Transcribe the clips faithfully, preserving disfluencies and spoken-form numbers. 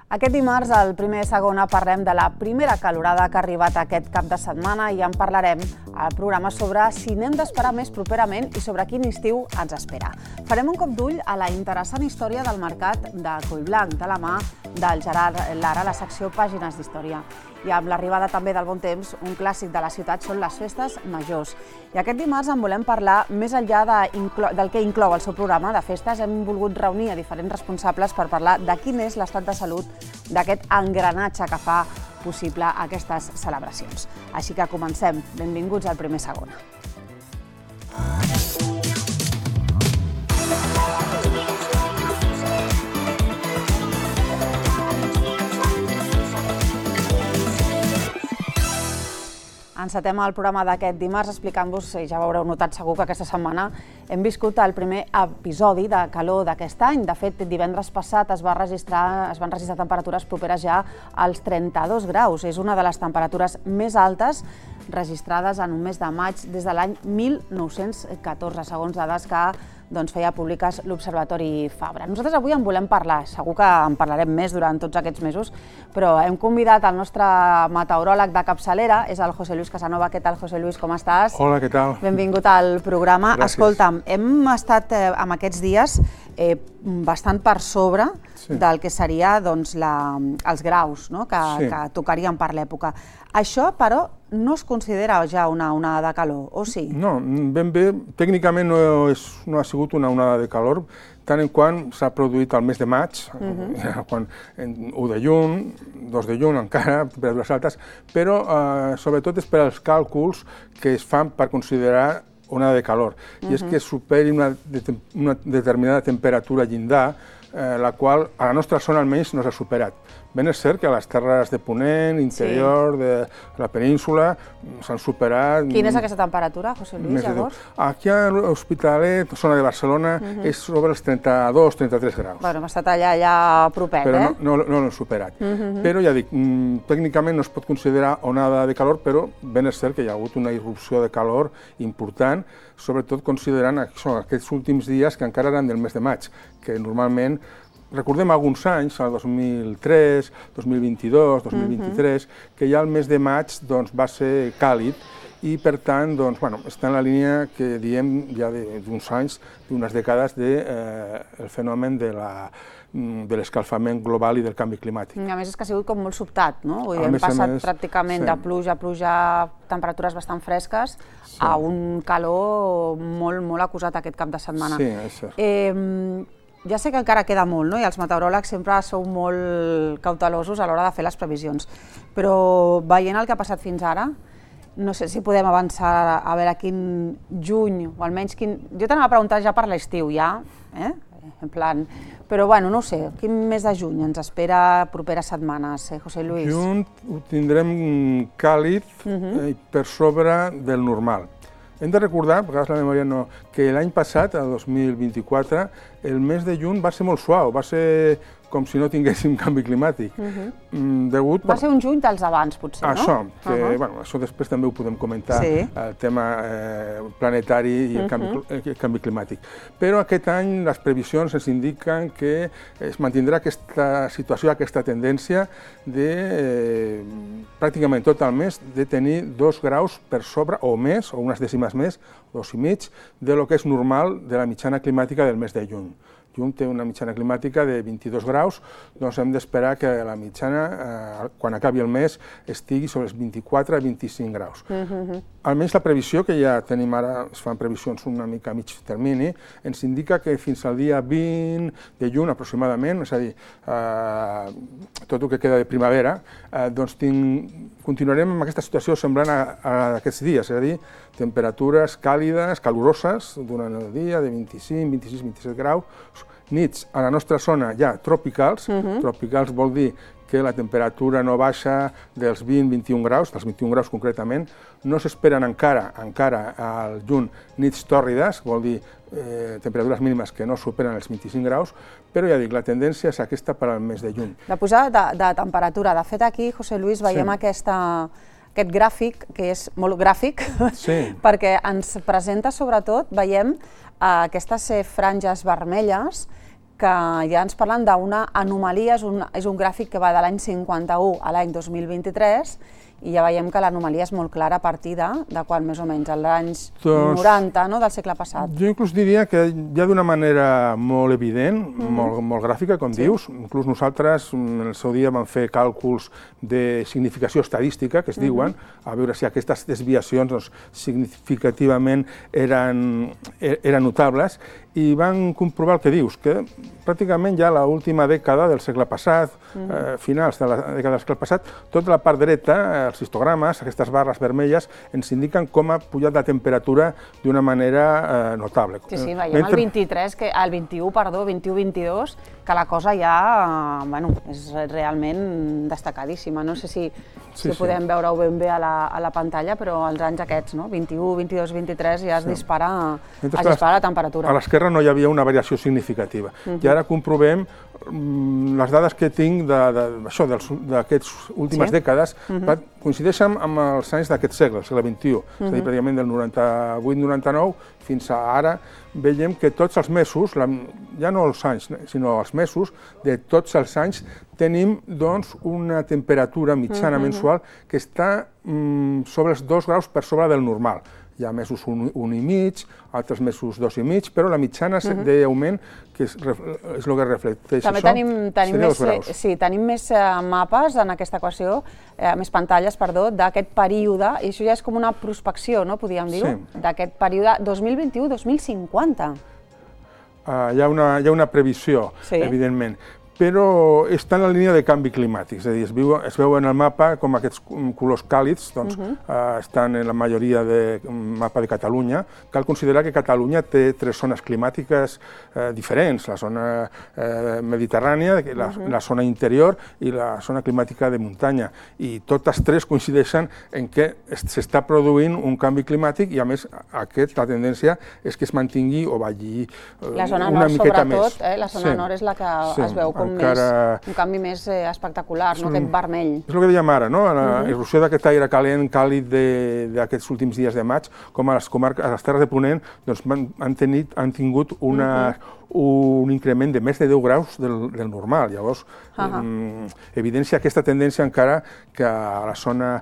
Aquest dimarts, al Primer Segona, parlem de la primera calorada que ha arribat aquest cap de setmana i en parlarem al programa sobre si n'hem d'esperar més properament i sobre quin estiu ens espera. Farem un cop d'ull a la interessant història del mercat de Collblanc, de la mà del Gerard Lara, a la secció Pàgines d'Història. I amb l'arribada també del bon temps, un clàssic de la ciutat són les festes majors. I aquest dimarts en volem parlar més enllà del que inclou el seu programa de festes. Hem volgut reunir a diferents responsables per parlar de quin és l'estat de salut d'aquest engranatge que fa possible aquestes celebracions. Així que comencem. Benvinguts al Primer Segona. Encetem el programa d'aquest dimarts explicant-vos, ja ho haureu notat segur que aquesta setmana hem viscut el primer episodi de calor d'aquest any. De fet, divendres passat es, va registrar, es van registrar temperatures properes ja als trenta-dos graus. És una de les temperatures més altes registrades en un mes de maig des de l'any mil nou-cents catorze, segons dades que doncs, feia públiques l'Observatori Fabra. Nosaltres avui en volem parlar, segur que en parlarem més durant tots aquests mesos, però hem convidat el nostre meteoròleg de capçalera, és el José Luis Casanova. Què tal, José Luis, com estàs? Hola, què tal? Benvingut al programa. Gràcies. Escolta'm, hem estat eh, en aquests dies eh, bastant per sobre sí. del que seria doncs, la, els graus, no? que, sí. que tocarien per l'època. Això, però, no es considera ja una onada de calor, o sí? No, ben bé, tècnicament no, és, no ha sigut una onada de calor, tant en quant s'ha produït al mes de maig, uh-huh. quan, u de juny, dos de juny encara, temperatures altes, però eh, sobretot és per als càlculs que es fan per considerar onada de calor, uh-huh. i és que superi una, una determinada temperatura llindar, eh, la qual a la nostra zona almenys no s'ha superat. Ben és cert que a les terres de Ponent, interior, sí. de la península, s'han superat... Quina és aquesta temperatura, José Luis, llavors? Aquí a l'Hospitalet, zona de Barcelona, uh-huh. és sobre els trenta-dos trenta-tres graus. Bueno, hem estat allà, allà propet, però eh? Però no, no, no l'hem superat. Uh-huh. Però ja dic, tècnicament no es pot considerar onada de calor, però ben és cert que hi ha hagut una irrupció de calor important, sobretot considerant això, aquests últims dies que encara eren del mes de maig, que normalment recordem alguns anys, el dos mil tres, dos mil vint-i-dos, dos mil vint-i-tres, uh-huh. que ja el mes de maig doncs, va ser càlid i, per tant, doncs, bueno, està en la línia que diem ja d'uns anys, d'unes dècades, del de, eh, fenomen de la de l'escalfament global i del canvi climàtic. A més, és que ha sigut com molt sobtat, no? Vull dir, hem passat més, pràcticament sí. de pluja a pluja, temperatures bastant fresques, sí. a un calor molt, molt acusat aquest cap de setmana. Sí, és cert. Eh, Ja sé que encara queda molt, no? I els meteoròlegs sempre sou molt cautelosos a l'hora de fer les previsions, però veient el que ha passat fins ara, no sé si podem avançar a veure quin juny, o almenys quin... Jo t'anava a preguntar ja per l'estiu, ja, eh? En plan... Però, bueno, no ho sé, quin mes de juny ens espera properes setmanes, eh, José Luis? Juny ho tindrem càlid uh-huh. eh, per sobre del normal. Hem de recordar, a vegades la memòria no, que l'any passat, el dos mil vint-i-quatre, el mes de juny va ser molt suau, va ser com si no tinguéssim canvi climàtic. Uh-huh. mm, degut va per... ser un juny dels abans, potser, això, no? Que, uh-huh. bueno, això després també ho podem comentar, sí. el tema eh, planetari i el canvi, uh-huh. el canvi climàtic. Però aquest any les previsions ens indiquen que es mantindrà aquesta situació, aquesta tendència de eh, pràcticament tot el mes de tenir dos graus per sobre o més, o unes dècimes més, dos i mig, de lo que és normal de la mitjana climàtica del mes de juny. Juny té una mitjana climàtica de vint-i-dos graus, doncs hem d'esperar que la mitjana, eh, quan acabi el mes, estigui sobre els vint-i-quatre a vint-i-cinc graus. Uh-huh. Almenys la previsió, que ja tenim ara, es fan previsions una mica a mig termini, ens indica que fins al dia vint de juny aproximadament, és a dir, eh, tot el que queda de primavera, eh, doncs tinc, continuarem amb aquesta situació semblant a, a aquests dies, és a dir, temperatures càlides, caloroses, durant el dia, de vint-i-cinc, vint-i-sis, vint-i-set graus, nits a la nostra zona ja tropicals, uh-huh. tropicals vol dir que la temperatura no baixa dels vint a vint-i-un graus, dels vint-i-un graus concretament, no s'esperen encara, encara al juny nits tòrrides, vol dir eh, temperatures mínimes que no superen els vint-i-cinc graus, però ja dic, la tendència és aquesta per al mes de juny. De pujada de, de temperatura, de fet aquí, José Luis, veiem sí. aquesta... aquest gràfic, que és molt gràfic, sí. perquè ens presenta sobretot, veiem, aquestes franges vermelles que ja ens parlen d'una anomalia, és un, és un gràfic que va de l'any cinquanta-u a l'any dos mil vint-i-tres, i ja veiem que l'anomalia és molt clara a partir de, de quan més o menys, als anys doncs, noranta, no?, del segle passat. Jo inclús diria que ja d'una manera molt evident, mm-hmm. molt, molt gràfica, com sí. dius, inclús nosaltres en el seu dia vam fer càlculs de significació estadística, que es mm-hmm. diuen, a veure si aquestes desviacions doncs, significativament eren, eren notables, i van comprovar el que dius, que pràcticament ja l'última dècada del segle passat, mm. eh, finals de la dècada del segle passat, tota la part dreta, els histogrames, aquestes barres vermelles, ens indiquen com ha pujat la temperatura d'una manera eh, notable. Sí, sí, veiem Mentre... el vint-i-tres, que, el vint-i-u, perdó, vint-i-u vint-i-dos, que la cosa ja, eh, bueno, és realment destacadíssima. No sé si, si sí, podem sí. veure-ho ben bé a la, a la pantalla, però els anys aquests, no? vint-i-u, vint-i-dos, vint-i-tres, ja es sí. dispara, es dispara la temperatura. A l'esquerra no hi havia una variació significativa. Uh-huh. I ara comprovem mm, les dades que tinc d'aquestes últimes sí. dècades, uh-huh. coincideixen amb els anys d'aquest segle, el segle vint-i-u, uh-huh. és a dir, pràcticament del noranta-vuit noranta-nou fins a ara, veiem que tots els mesos, la, ja no els anys, sinó els mesos, de tots els anys tenim doncs, una temperatura mitjana uh-huh. mensual que està mm, sobre els dos graus per sobre del normal. Hi ha mesos un, un i mig, altres mesos dos i mig, però la mitjana uh-huh. d'augment, que és, és el que reflecteix També això, tenim, tenim més, sí, tenim més uh, mapes en aquesta equació, eh, més pantalles, perdó, d'aquest període, i això ja és com una prospecció, no, podríem dir-ho, sí. d'aquest període dos mil vint-i-u dos mil cinquanta. Uh, hi, ha una, hi ha una previsió, sí. evidentment, però està en la línia de canvi climàtic, és a dir, es, viu, es veu en el mapa com aquests colors càlids doncs, uh-huh. eh, estan en la majoria del mapa de Catalunya. Cal considerar que Catalunya té tres zones climàtiques eh, diferents, la zona eh, mediterrània, la, uh-huh. la zona interior i la zona climàtica de muntanya, i totes tres coincideixen en què s'està produint un canvi climàtic i, a més, aquest, la tendència és que es mantingui o vagi eh, la zona una nord, miqueta sobretot, més. Eh, la zona sí. nord és la que sí. es veu com Encara... més, un canvi més eh, espectacular, no? Aquest vermell. És el que dèiem ara, no? La uh-huh. erupció d'aquest aire calent, càlid d'aquests últims dies de maig, com a les comarques, a les Terres de Ponent, doncs han, tenit, han tingut una, uh-huh. un increment de més de deu graus del, del normal. Llavors, uh-huh. eh, evidència aquesta tendència encara que a la zona...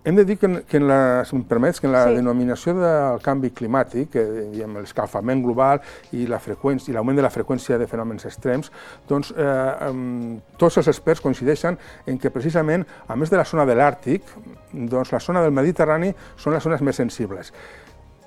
Hem de dir que, que en la, si em permets, que en la sí. denominació del canvi climàtic, que diem l'escalfament global i la freqüència i l'augment de la freqüència de fenòmens extrems, doncs eh, eh, tots els experts coincideixen en que precisament, a més de la zona de l'Àrtic, doncs la zona del Mediterrani són les zones més sensibles.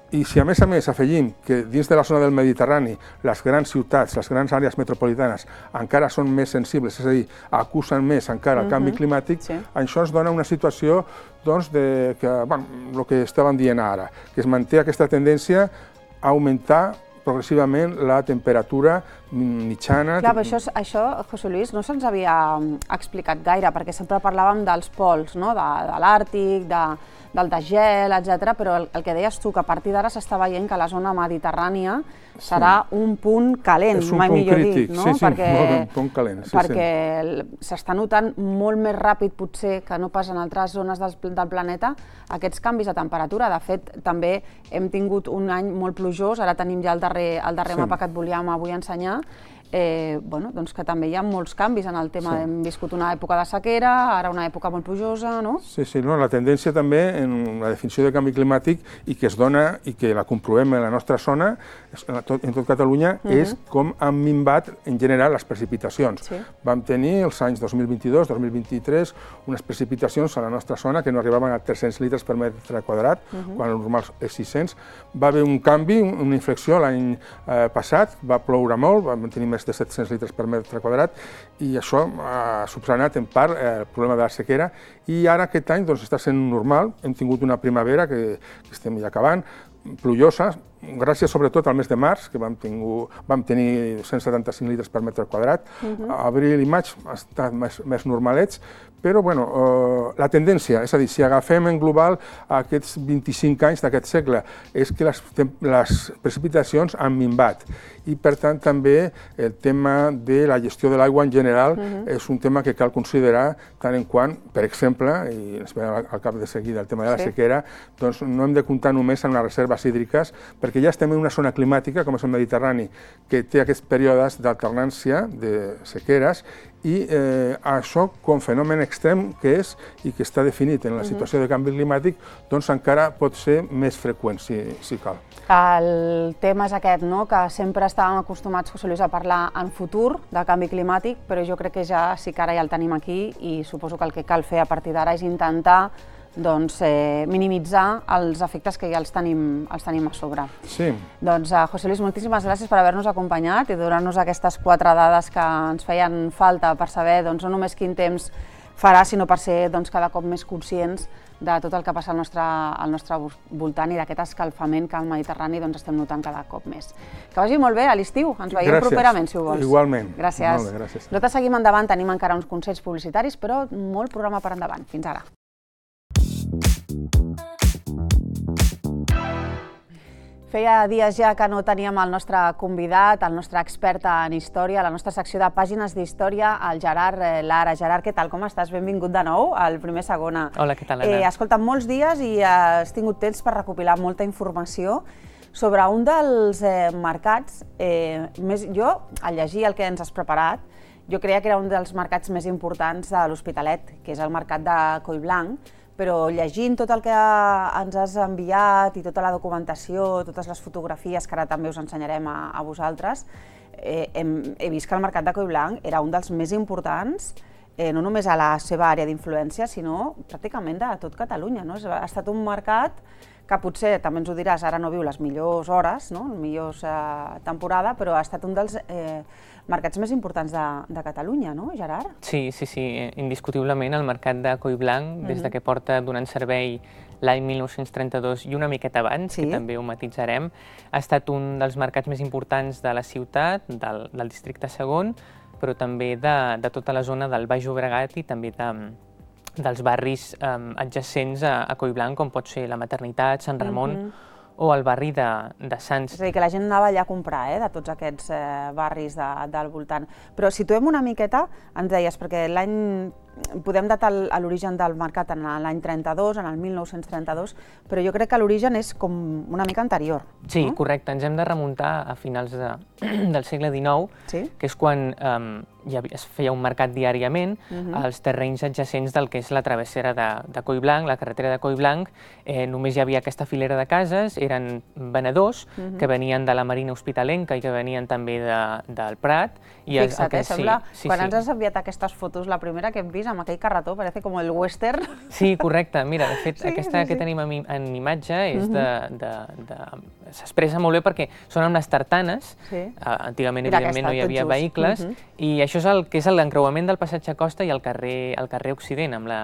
I si a més a més afegim que dins de la zona del Mediterrani les grans ciutats, les grans àrees metropolitanes encara són més sensibles, és a dir, acusen més encara el canvi climàtic, sí. això ens dona una situació doncs, de que, bueno, el que estàvem dient ara, que es manté aquesta tendència a augmentar progressivament la temperatura mitjana. Clar, però això, això, José Luis, no se'ns havia explicat gaire, perquè sempre parlàvem dels pols, no? de, de l'Àrtic, de, del desgel, etcètera, però el, el que deies tu, que a partir d'ara s'està veient que la zona mediterrània serà sí. un punt calent, un mai punt millor crític. dit, no? Sí, sí, perquè un punt calent. Sí, perquè s'està notant molt més ràpid, potser, que no pas en altres zones del, del planeta, aquests canvis de temperatura. De fet, també hem tingut un any molt plujós, ara tenim ja el darrer, el darrer sí. mapa que et volíem avui ensenyar, Eh, bueno, doncs que també hi ha molts canvis en el tema. Sí. Hem viscut una època de sequera, ara una època molt plujosa, no? Sí, sí, no, la tendència també en la definició de canvi climàtic i que es dona i que la comprovem en la nostra zona, en tot, en tot Catalunya, uh-huh. és com han minvat en general les precipitacions. Sí. Vam tenir els anys dos mil vint-i-dos dos mil vint-i-tres unes precipitacions a la nostra zona que no arribaven a tres-cents litres per metre quadrat, uh-huh. quan el normal és sis-cents. Va haver un canvi, una inflexió l'any eh, passat, va ploure molt, vam tenir més de set-cents litres per metre quadrat, i això ha subsanat en part el problema de la sequera, i ara aquest any doncs, està sent normal. Hem tingut una primavera que, que estem ja acabant, plujosa, gràcies sobretot al mes de març, que vam, tingut, vam tenir cent setanta-cinc litres per metre quadrat. Uh-huh. Abril i maig han estat més, més normalets, però bueno, eh, la tendència, és a dir, si agafem en global aquests vint-i-cinc anys d'aquest segle, és que les, les precipitacions han minvat, i per tant també el tema de la gestió de l'aigua en general uh-huh. és un tema que cal considerar tant en quant, per exemple, i ens ve al cap de seguida el tema de la sí. sequera, doncs no hem de comptar només amb les reserves hídriques, perquè perquè ja estem en una zona climàtica, com és el Mediterrani, que té aquests períodes d'alternància de sequeres, i eh, això, com fenomen extrem que és i que està definit en la situació de canvi climàtic, doncs encara pot ser més freqüent, si, si cal. El tema és aquest, no?, que sempre estàvem acostumats, José Luis, a parlar en futur de canvi climàtic, però jo crec que ja sí que ara ja el tenim aquí i suposo que el que cal fer a partir d'ara és intentar doncs, eh, minimitzar els efectes que ja els tenim, els tenim a sobre. Sí. Doncs, eh, José Luis, moltíssimes gràcies per haver-nos acompanyat i donar-nos aquestes quatre dades que ens feien falta per saber doncs, no només quin temps farà, sinó per ser doncs, cada cop més conscients de tot el que passa al nostre, al nostre voltant i d'aquest escalfament que al Mediterrani doncs, estem notant cada cop més. Que vagi molt bé a l'estiu, ens veiem gràcies. Properament, si ho vols. Igualment. Gràcies. Molt bé, gràcies. Nosaltres seguim endavant, tenim encara uns consells publicitaris, però molt programa per endavant. Fins ara. Feia dies ja que no teníem el nostre convidat, el nostre expert en història, la nostra secció de pàgines d'història, el Gerard Lara. Gerard, què tal? Com estàs? Benvingut de nou al Primer Segona. Hola, què tal, Anna? Eh, escolta, molts dies i has tingut temps per recopilar molta informació sobre un dels eh, mercats, eh, més, jo, al llegir el que ens has preparat, jo creia que era un dels mercats més importants de l'Hospitalet, que és el mercat de Collblanc, però llegint tot el que ens has enviat i tota la documentació, totes les fotografies que ara també us ensenyarem a, a vosaltres, eh, hem, he vist que el mercat de Collblanc era un dels més importants, eh, no només a la seva àrea d'influència, sinó pràcticament de tot Catalunya, no? Ha estat un mercat que potser, també ens ho diràs, ara no viu les millors hores, no? Les millors eh, temporada, però ha estat un dels eh, mercats més importants de, de Catalunya, no, Gerard? Sí, sí, sí, indiscutiblement el mercat de Collblanc, des de que porta donant servei l'any mil nou-cents trenta-dos i una miqueta abans, sí, que també ho matitzarem, ha estat un dels mercats més importants de la ciutat, del, del districte segon, però també de, de tota la zona del Baix Llobregat i també de, dels barris eh, adjacents a, a Collblanc, com pot ser la Maternitat, Sant Ramon, mm-hmm, o el barri de, de Sants. És a dir, que la gent anava allà a comprar, eh, de tots aquests eh, barris de, del voltant. Però situem una miqueta, ens deies, perquè l'any podem datar l'origen del mercat en l'any trenta-dos, en el mil nou-cents trenta-dos, però jo crec que l'origen és com una mica anterior. Sí, no? Correcte. Ens hem de remuntar a finals de, del segle dinou, sí, que és quan um, ja es feia un mercat diàriament uh-huh, als terrenys adjacents del que és la travessera de, de Collblanc, la carretera de Collblanc. Eh, només hi havia aquesta filera de cases, eren venedors uh-huh, que venien de la Marina Hospitalenca i que venien també de, del Prat. I Fixa't, el que, eh, sembla, sí, sí, quan sí, ens has enviat aquestes fotos, la primera que hem vist amb aquell carretó, parece com el western. Sí, correcte. Mira, de fet, sí, aquesta sí, sí, que tenim en, en imatge és uh-huh, de, de, de, s'expressa molt bé perquè són amb les tartanes. Sí. Uh, antigament, mira, evidentment, no hi havia just vehicles, uh-huh, i això és el que és l'encreuament del passatge Costa i el carrer, el carrer Occident, amb la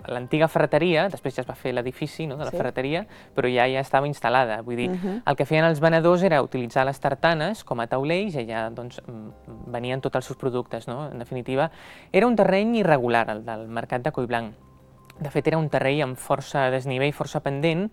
l'antiga ferreteria, després ja es va fer l'edifici, no, de la sí, ferreteria, però ja ja estava instal·lada. Vull dir, uh-huh, el que feien els venedors era utilitzar les tartanes com a taulells i allà doncs, venien tots els seus productes, no? En definitiva, era un terreny irregular, el del mercat de Collblanc. De fet, era un terreny amb força desnivell, força pendent,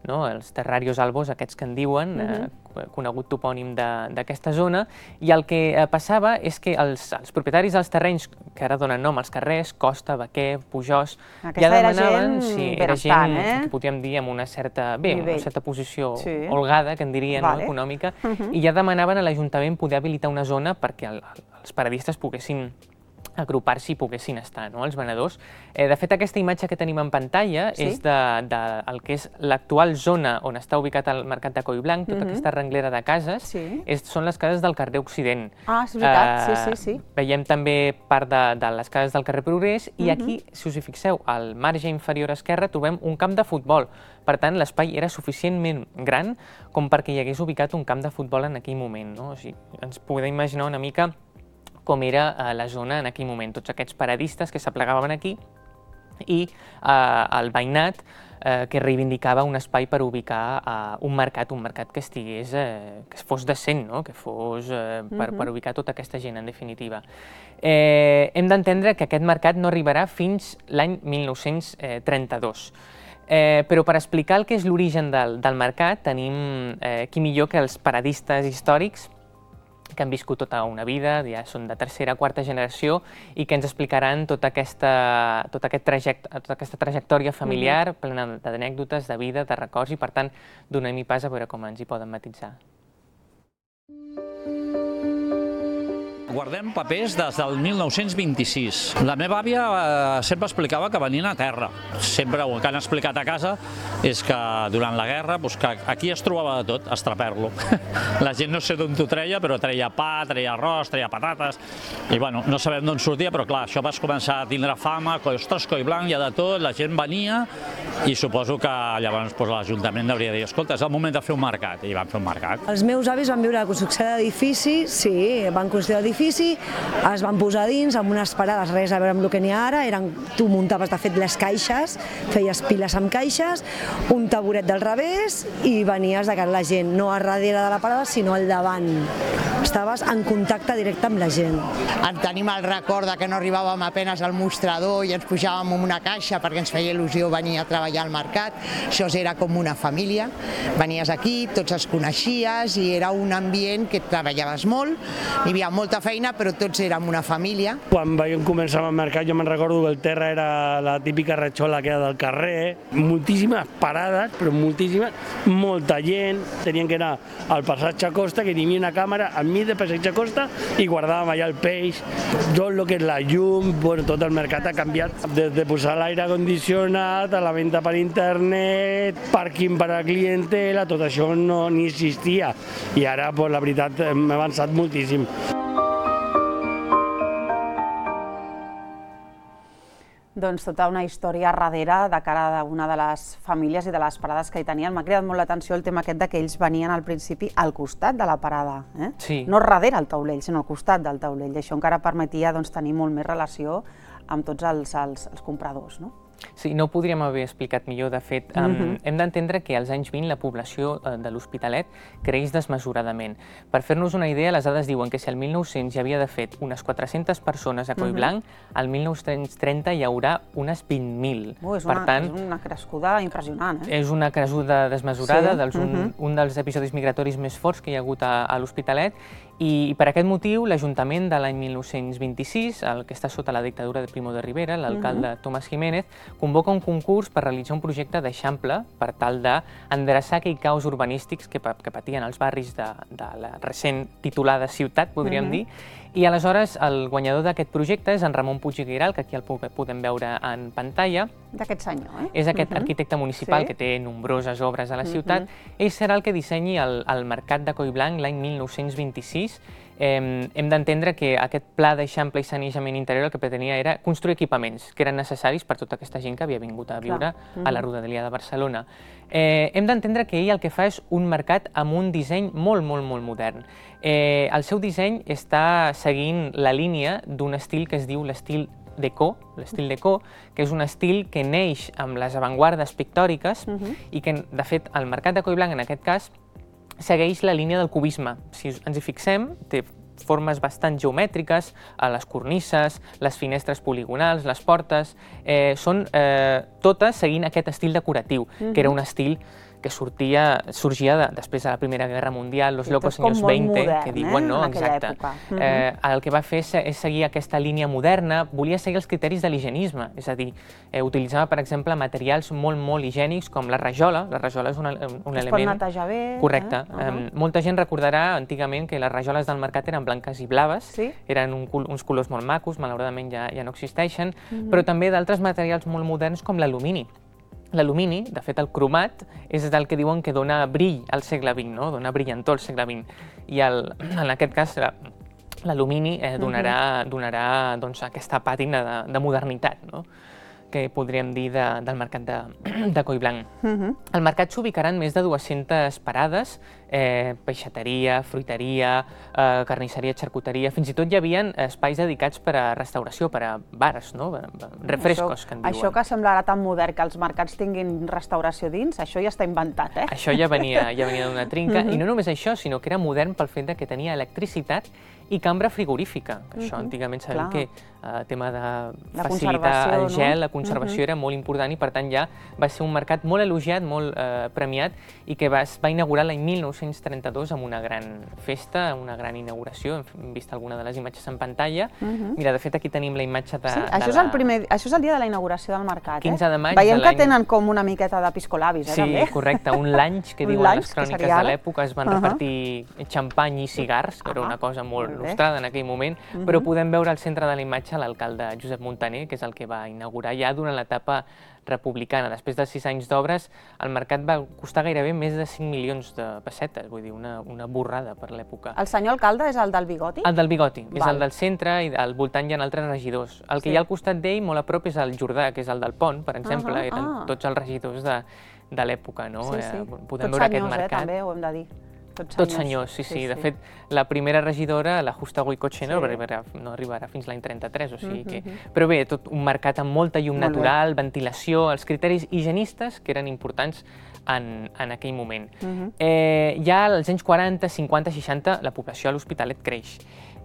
no? Els terrarios albos, aquests que en diuen, uh-huh, eh, conegut topònim d'aquesta zona, i el que eh, passava és que els, els propietaris dels terrenys, que ara donen nom als carrers, Costa, Baquer, Pujós, aquesta ja era demanaven, gent, sí, era benestant, gent eh? que podríem dir amb una certa, bé, una certa posició sí, holgada, que en diria, vale, no, econòmica, uh-huh, i ja demanaven a l'Ajuntament poder habilitar una zona perquè el, els paradistes poguessin agrupar-s'hi i poguessin estar, no, els venedors. Eh, de fet, aquesta imatge que tenim en pantalla sí, és de, de el que és l'actual zona on està ubicat el mercat de Collblanc, tota uh-huh, aquesta renglera de cases, sí, és, són les cases del carrer Occident. Ah, és veritat, uh, sí, sí, sí. Veiem també part de, de les cases del carrer Progrés i uh-huh, aquí, si us hi fixeu, al marge inferior esquerre trobem un camp de futbol. Per tant, l'espai era suficientment gran com perquè hi hagués ubicat un camp de futbol en aquell moment, no? O sigui, ens podem imaginar una mica com era eh, la zona en aquell moment, tots aquests paradistes que s'aplegaven aquí i eh, el veïnat eh, que reivindicava un espai per ubicar eh, un mercat, un mercat que estigués, eh, que fos decent, no? Que fos eh, per, per ubicar tota aquesta gent, en definitiva. Eh, hem d'entendre que aquest mercat no arribarà fins l'any mil nou-cents trenta-dos. Eh, però per explicar el que és l'origen del, del mercat tenim eh, qui millor que els paradistes històrics que han viscut tota una vida, ja són de tercera, quarta generació, i que ens explicaran tota aquesta, tota aquest traject, tota aquesta trajectòria familiar plena d'anècdotes, de vida, de records, i per tant donem-hi pas a veure com ens hi poden matitzar. Guardem papers des del mil nou-cents vint-i-sis. La meva àvia sempre explicava que venien a terra. Sempre el que han explicat a casa és que durant la guerra aquí es trobava de tot, estraper-lo. La gent no sé d'on t'ho treia, però treia pa, treia arròs, treia patates, i bueno, no sabem d'on sortia, però clar, això vas començar a tindre fama, ostres, Coi Blanc, hi ha de tot, la gent venia, i suposo que llavors l'Ajuntament hauria de dir, escolta, és el moment de fer un mercat, i van fer un mercat. Els meus avis van viure la construcció d'edifici, sí, van construir l'edifici, es van posar dins amb unes parades, res a veure amb el que n'hi ha ara, eren, tu muntaves de fet les caixes, feies piles amb caixes, un taburet del revés i venies de cara a la gent, no a darrere de la parada sinó al davant. Estaves en contacte directe amb la gent. En tenim el record que no arribàvem apenes al mostrador i ens pujàvem en una caixa perquè ens feia il·lusió venir a treballar al mercat. Això era com una família. Venies aquí, tots els coneixies i era un ambient que treballaves molt, hi havia molta feina però tots érem una família. Quan vam començar al mercat jo me'n recordo que el terra era la típica ratxola que era del carrer, moltíssimes parades, però moltíssimes, molta gent, tenien que anar al passatge Costa, que hi havia una càmera al mig de passatge Costa i guardàvem allà el peix, tot el que és la llum, bueno, tot el mercat ha canviat, des de posar l'aire condicionat a la venda per internet, pàrquing per a clientela, tot això no ni existia i ara, pues, la veritat, hem avançat moltíssim. Doncs tota una història darrere de cara a una de les famílies i de les parades que hi tenien. M'ha cridat molt l'atenció el tema aquest que ells venien al principi al costat de la parada. No darrere el taulell, sinó al costat del taulell. I això encara permetia tenir molt més relació amb tots els compradors. Sí, no ho podríem haver explicat millor. De fet, hem d'entendre que als anys vint la població de l'Hospitalet creix desmesuradament. Per fer-nos una idea, les dades diuen que si al mil nou-cents hi havia de fet unes quatre-centes persones a Coi Blanc, al mil nou-cents trenta hi haurà unes vint mil. És una crescuda impressionant. És una crescuda desmesurada, un dels episodis migratoris més forts que hi ha hagut a l'Hospitalet, i per aquest motiu l'Ajuntament de l'any mil nou-cents vint-i-sis, el que està sota la dictadura de Primo de Rivera, l'alcalde Tomàs Jiménez, convoca un concurs per realitzar un projecte d'eixample per tal d'endreçar aquells caos urbanístics que patien els barris de la recent titulada ciutat, podríem dir, i aleshores el guanyador d'aquest projecte és en Ramon Puig i Guiral, que aquí el podem veure en pantalla. D'aquest senyor, eh? És aquest arquitecte municipal que té nombroses obres a la ciutat. Ell serà el que dissenyi el mercat de Coi Blanc l'any mil nou-cents vint-i-sis. Hem d'entendre que aquest pla d'eixample i sanejament interior el que pretenia era construir equipaments que eren necessaris per tota aquesta gent que havia vingut a viure a la Rodalia de Barcelona. Hem d'entendre que ell el que fa és un mercat amb un disseny molt, molt, molt modern. El seu disseny està seguint la línia d'un estil que es diu l'estil Déco, l'estil Déco, que és un estil que neix amb les avantguardes pictòriques i que, de fet, el mercat de Coi Blanc, en aquest cas, segueix la línia del cubisme. Si ens hi fixem, té formes bastant geomètriques, les cornises, les finestres poligonals, les portes, són totes seguint aquest estil decoratiu, que era un estil que sorgia després de la Primera Guerra Mundial, los locos años veinte, que diuen, no? Exacte. El que va fer és seguir aquesta línia moderna, volia seguir els criteris de l'higienisme, és a dir, utilitzava, per exemple, materials molt, molt higiènics, com la rajola. La rajola és un element... Es pot netejar bé. Correcte. Molta gent recordarà antigament que les rajoles del mercat eren blanques i blaves, eren uns colors molt macos, malauradament ja no existeixen, però també d'altres materials molt moderns com l'alumini. L'alumini, de fet el cromat, és el que diuen que dona brill al segle vint, dona brillantor al segle vint. I en aquest cas l'alumini donarà aquesta pàtina de modernitat que podríem dir del mercat de Coi Blanc. Al mercat s'ubicaran més de dues-centes parades, peixateria, fruiteria, carnisseria, xarcuteria, fins i tot hi havia espais dedicats per a restauració, per a bars, refrescos, que en diuen. Això que semblarà tan modern que els mercats tinguin restauració dins, això ja està inventat, eh? Això ja venia d'una trinca, i no només això, sinó que era modern pel fet que tenia electricitat i cambra frigorífica, que això antigament sabem que el tema de facilitar el gel, la conservació era molt important i per tant ja va ser un mercat molt elogiat, molt premiat i que es va inaugurar l'any mil nou-cents trenta-dos amb una gran festa, una gran inauguració, hem vist alguna de les imatges en pantalla. Mira, de fet aquí tenim la imatge de... Sí, això és el primer, això és el dia de la inauguració del mercat, eh? quinze de maig de l'any... Veiem que tenen com una miqueta de piscolabis, eh, també? Sí, correcte, un lunch que diuen les cròniques de l'època, es van repartir xampany i cigars, que era una cosa molt nostrada en aquell moment, però podem veure al centre de la imatge l'alcalde Josep Montaner, que és el que va inaugurar ja durant l'etapa republicana. Després de sis anys d'obres, el mercat va costar gairebé més de cinc milions de pessetes, vull dir, una borrada per l'època. El senyor alcalde és el del bigoti? El del bigoti, és el del centre i al voltant hi ha altres regidors. El que hi ha al costat d'ell, molt a prop, és el Jordà, que és el del Pont, per exemple, eren tots els regidors de l'època, no? Tots senyors, eh, també, ho hem de dir. Tots senyors, sí, sí. De fet, la primera regidora, la Justa Goicoche, no arribarà fins l'any trenta-tres, o sigui que... Però bé, tot un mercat amb molta llum natural, ventilació, els criteris higienistes que eren importants en aquell moment. Ja als anys quaranta, cinquanta, seixanta, la població a l'Hospitalet creix.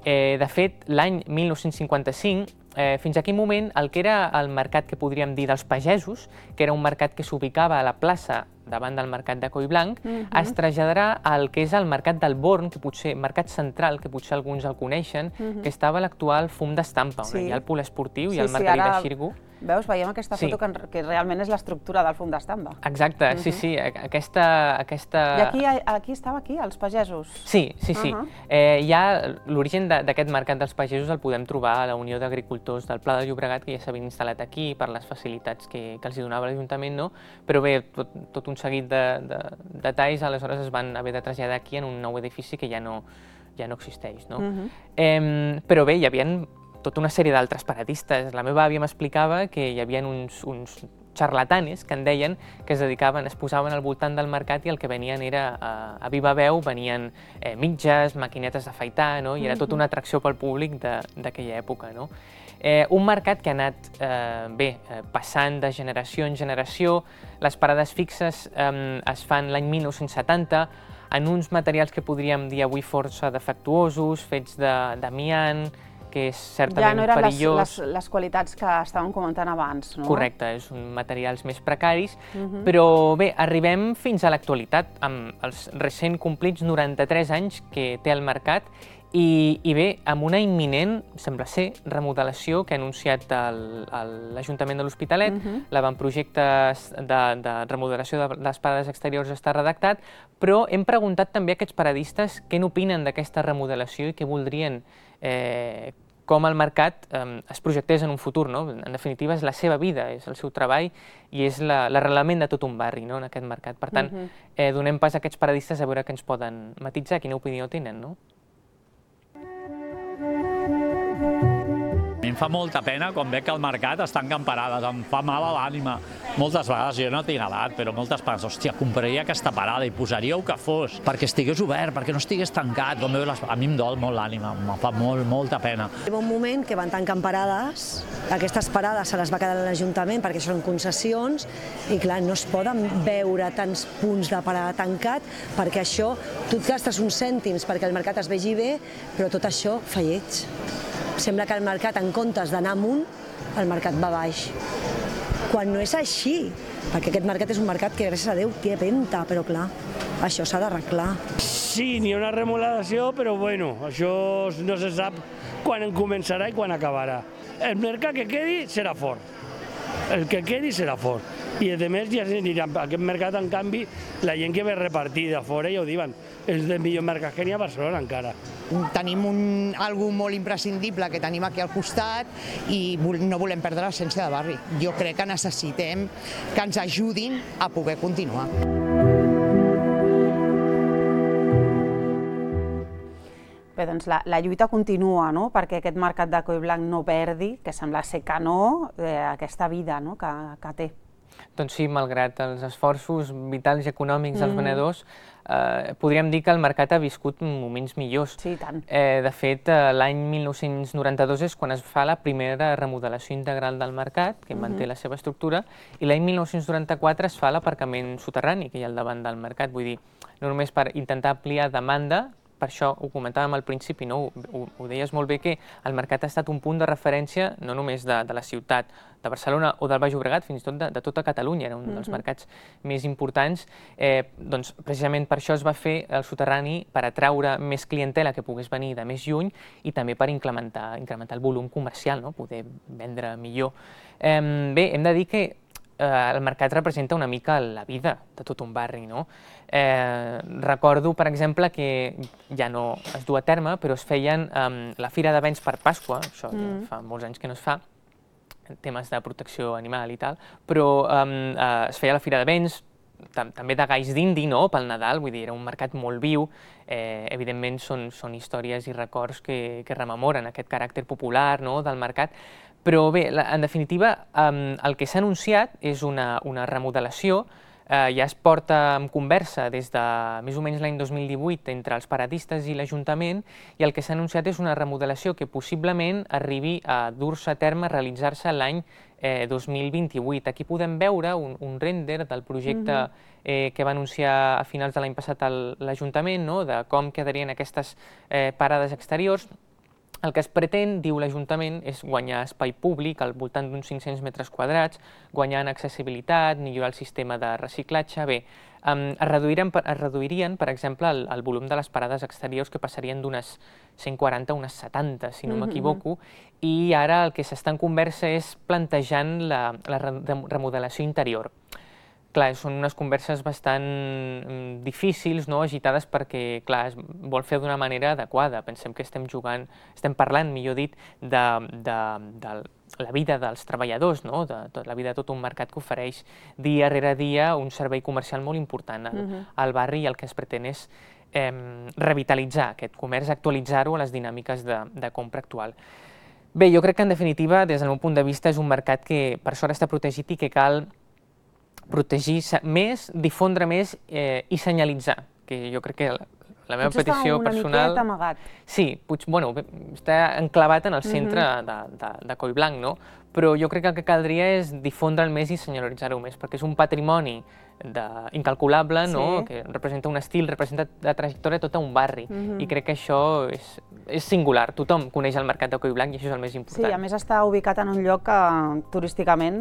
De fet, l'any mil nou-cents cinquanta-cinc, fins a aquell moment, el que era el mercat que podríem dir dels pagesos, que era un mercat que s'ubicava a la plaça davant del mercat de Collblanc, es traslladarà al que és el mercat del Born, que potser, mercat central, que potser alguns el coneixen, que estava a l'actual Fum d'Estampa, on hi ha el polesportiu i el mercadí de Xirgu. Veus, veiem aquesta foto que realment és l'estructura del Fum d'Estampa. Exacte, sí, sí, aquesta... I aquí estava aquí, els pagesos? Sí, sí, sí. Ja l'origen d'aquest mercat dels pagesos el podem trobar a la Unió d'Agricultors del Pla de Llobregat, que ja s'havien instal·lat aquí per les facilitats que els donava l'Ajuntament, no? Però bé, tot un seguit de detalls, aleshores es van haver de traslladar aquí en un nou edifici que ja no existeix, no? Però bé, hi havia tota una sèrie d'altres paradistes. La meva àvia m'explicava que hi havia uns xarlatanes, que en deien, que es dedicaven, es posaven al voltant del mercat i el que venien era, a viva veu, venien mitges, maquinetes d'afaitar, i era tota una atracció pel públic d'aquella època. Un mercat que ha anat, bé, passant de generació en generació. Les parades fixes es fan l'any mil nou-cents setanta, en uns materials que podríem dir avui força defectuosos, fets d'amiant, que és certament perillós. Ja no eren les qualitats que estàvem comentant abans, no? Correcte, són materials més precaris, però bé, arribem fins a l'actualitat, amb els recent complits noranta-tres anys que té el mercat i bé, amb una imminent, sembla ser, remodelació que ha anunciat l'Ajuntament de l'Hospitalet, l'avantprojecte de remodelació de les parades exteriors està redactat, però hem preguntat també a aquests paradistes què n'opinen d'aquesta remodelació i què voldrien com el mercat es projectés en un futur. En definitiva, és la seva vida, és el seu treball i és l'arrelament de tot un barri en aquest mercat. Per tant, donem pas a aquests paradistes a veure què ens poden matitzar, quina opinió tenen. A mi em fa molta pena quan veig que al mercat estan camparades, em fa mal a l'ànima. Moltes vegades, jo no tinc edat, però moltes vegades, hòstia, compraria aquesta parada i posaria el que fos, perquè estigués obert, perquè no estigués tancat. A mi em dol molt l'ànima, em fa molt, molta pena. Hi va un moment que van tancant parades, aquestes parades se les va quedar l'Ajuntament perquè són concessions i clar, no es poden veure tants punts de parada tancat perquè això, tu et gastes uns cèntims perquè el mercat es vegi bé, però tot això fa lleig. Sembla que el mercat, en comptes d'anar amunt, el mercat va baix. Quan no és així, perquè aquest mercat és un mercat que, gràcies a Déu, té venda, però clar, això s'ha d'arreglar. Sí, n'hi ha una remodelació, però bueno, això no se sap quan començarà i quan acabarà. El mercat que quedi serà fort, el que quedi serà fort. I a més, ja s'anirà a aquest mercat, en canvi, la gent que ve repartida a fora, ja ho diuen, és el millor mercat que n'hi ha a Barcelona encara. Tenim algú molt imprescindible que tenim aquí al costat i no volem perdre l'essència de barri. Jo crec que necessitem que ens ajudin a poder continuar. Bé, doncs la lluita continua, no?, perquè aquest mercat de Collblanc no perdi, que sembla ser que no, aquesta vida que té. Doncs sí, malgrat els esforços vitals i econòmics dels venedors, podríem dir que el mercat ha viscut moments millors. Sí, i tant. De fet, l'any mil nou-cents noranta-dos és quan es fa la primera remodelació integral del mercat, que manté la seva estructura, i l'any mil nou-cents noranta-quatre es fa l'aparcament soterrani que hi ha al davant del mercat. Vull dir, no només per intentar ampliar demanda, per això ho comentàvem al principi, ho deies molt bé, que el mercat ha estat un punt de referència no només de la ciutat de Barcelona o del Baix Llobregat, fins i tot de tota Catalunya, era un dels mercats més importants. Doncs precisament per això es va fer el soterrani, per atraure més clientela que pogués venir de més lluny i també per incrementar el volum comercial, poder vendre millor. Bé, hem de dir que el mercat representa una mica la vida de tot un barri, no? Recordo, per exemple, que ja no es du a terme, però es feien la Fira de Béns per Pasqua, això fa molts anys que no es fa, temes de protecció animal i tal, però es feia la Fira de Béns, també de galls d'indi, no?, pel Nadal, vull dir, era un mercat molt viu, evidentment són històries i records que rememoren aquest caràcter popular del mercat, però bé, en definitiva, el que s'ha anunciat és una remodelació, ja es porta en conversa des de més o menys l'any dos mil divuit entre els paradistes i l'Ajuntament, i el que s'ha anunciat és una remodelació que possiblement arribi a dur-se a terme, a realitzar-se l'any dos mil vint-i-vuit. Aquí podem veure un render del projecte que va anunciar a finals de l'any passat l'Ajuntament, de com quedarien aquestes parades exteriors. El que es pretén, diu l'Ajuntament, és guanyar espai públic al voltant d'uns cinc-cents metres quadrats, guanyar en accessibilitat, millorar el sistema de reciclatge. Bé, es reduirien, per exemple, el volum de les parades exteriors, que passarien d'unes cent quaranta a unes setanta, si no m'equivoco, i ara el que s'està en conversa és plantejant la remodelació interior. Clar, són unes converses bastant difícils, agitades, perquè, clar, es vol fer d'una manera adequada. Pensem que estem jugant, estem parlant, millor dit, de la vida dels treballadors, de la vida de tot un mercat que ofereix dia rere dia un servei comercial molt important al barri, i el que es pretén és revitalitzar aquest comerç, actualitzar-ho a les dinàmiques de compra actual. Bé, jo crec que, en definitiva, des del meu punt de vista, és un mercat que per sort està protegit i que cal protegir més, difondre més i senyalitzar, que jo crec que la meva petició personal... Potser està una miqueta amagat. Sí, bueno, està enclavat en el centre de Collblanc, no? Però jo crec que el que caldria és difondre'l més i senyalitzar-ho més, perquè és un patrimoni incalculable, que representa un estil, representa la trajectòria de tot un barri, i crec que això és singular. Tothom coneix el mercat de Collblanc i això és el més important. Sí, a més està ubicat en un lloc que turísticament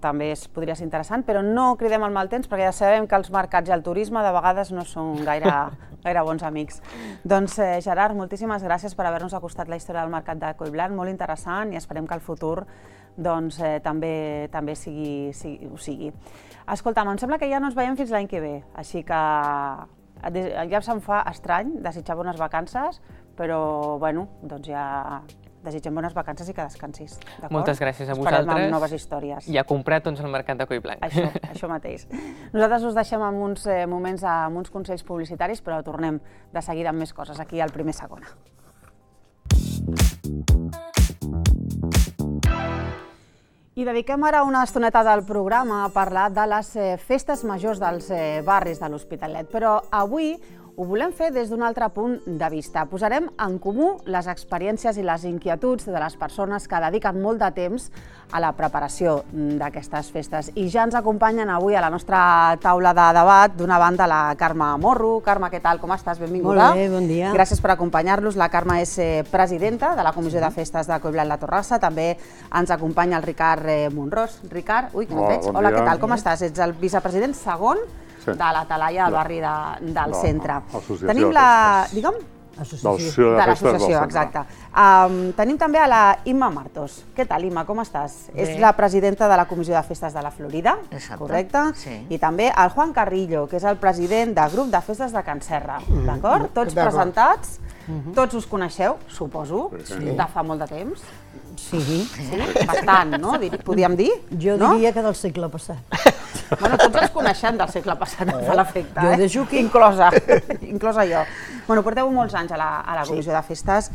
també podria ser interessant, però no cridem el mal temps, perquè ja sabem que els mercats i el turisme de vegades no són gaire bons amics. Doncs, Gerard, moltíssimes gràcies per haver-nos acostat la història del mercat de Collblanc, molt interessant, i esperem que el futur també ho sigui. Escolta'm, em sembla que ja no ens veiem fins l'any que ve, així que ja se'm fa estrany desitjar bones vacances, però, bueno, doncs ja desitgem bones vacances i que descansis. Moltes gràcies a vosaltres. Esperem amb noves històries. I a comprar tots al mercat de Collblanc. Això, això mateix. Nosaltres us deixem amb uns moments, amb uns consells publicitaris, però tornem de seguida amb més coses aquí al Primer Segona. I dediquem ara una estoneta del programa a parlar de les festes majors dels barris de l'Hospitalet, però avui ho volem fer des d'un altre punt de vista. Posarem en comú les experiències i les inquietuds de les persones que dediquen molt de temps a la preparació d'aquestes festes. I ja ens acompanyen avui a la nostra taula de debat, d'una banda, la Carme Morro. Carme, què tal? Com estàs? Benvinguda. Molt bé, bon dia. Gràcies per acompanyar-los. La Carme és presidenta de la Comissió de Festes de Collblanc la Torrassa. També ens acompanya el Ricard Monrós. Ricard, ui, que no et veig. Hola, què tal? Com estàs? Ets el vicepresident segon de la Talaia del barri del centre. Tenim la... Digue'm? Associació de l'associació, exacte. Tenim també a la Imma Martos. Què tal, Imma? Com estàs? És la presidenta de la Comissió de Festes de la Florida, correcte? I també el Juan Carrillo, que és el president del grup de festes de Can Serra. D'acord? Tots presentats, tots us coneixeu, suposo, de fa molt de temps. Sí. Bastant, no? Podríem dir? Jo diria que del segle passat. Bueno, tots els coneixem del segle passat, fa l'efecte, Jo de Juqui. inclosa, inclosa jo. Bueno, porteu molts anys a la Comissió de Festes.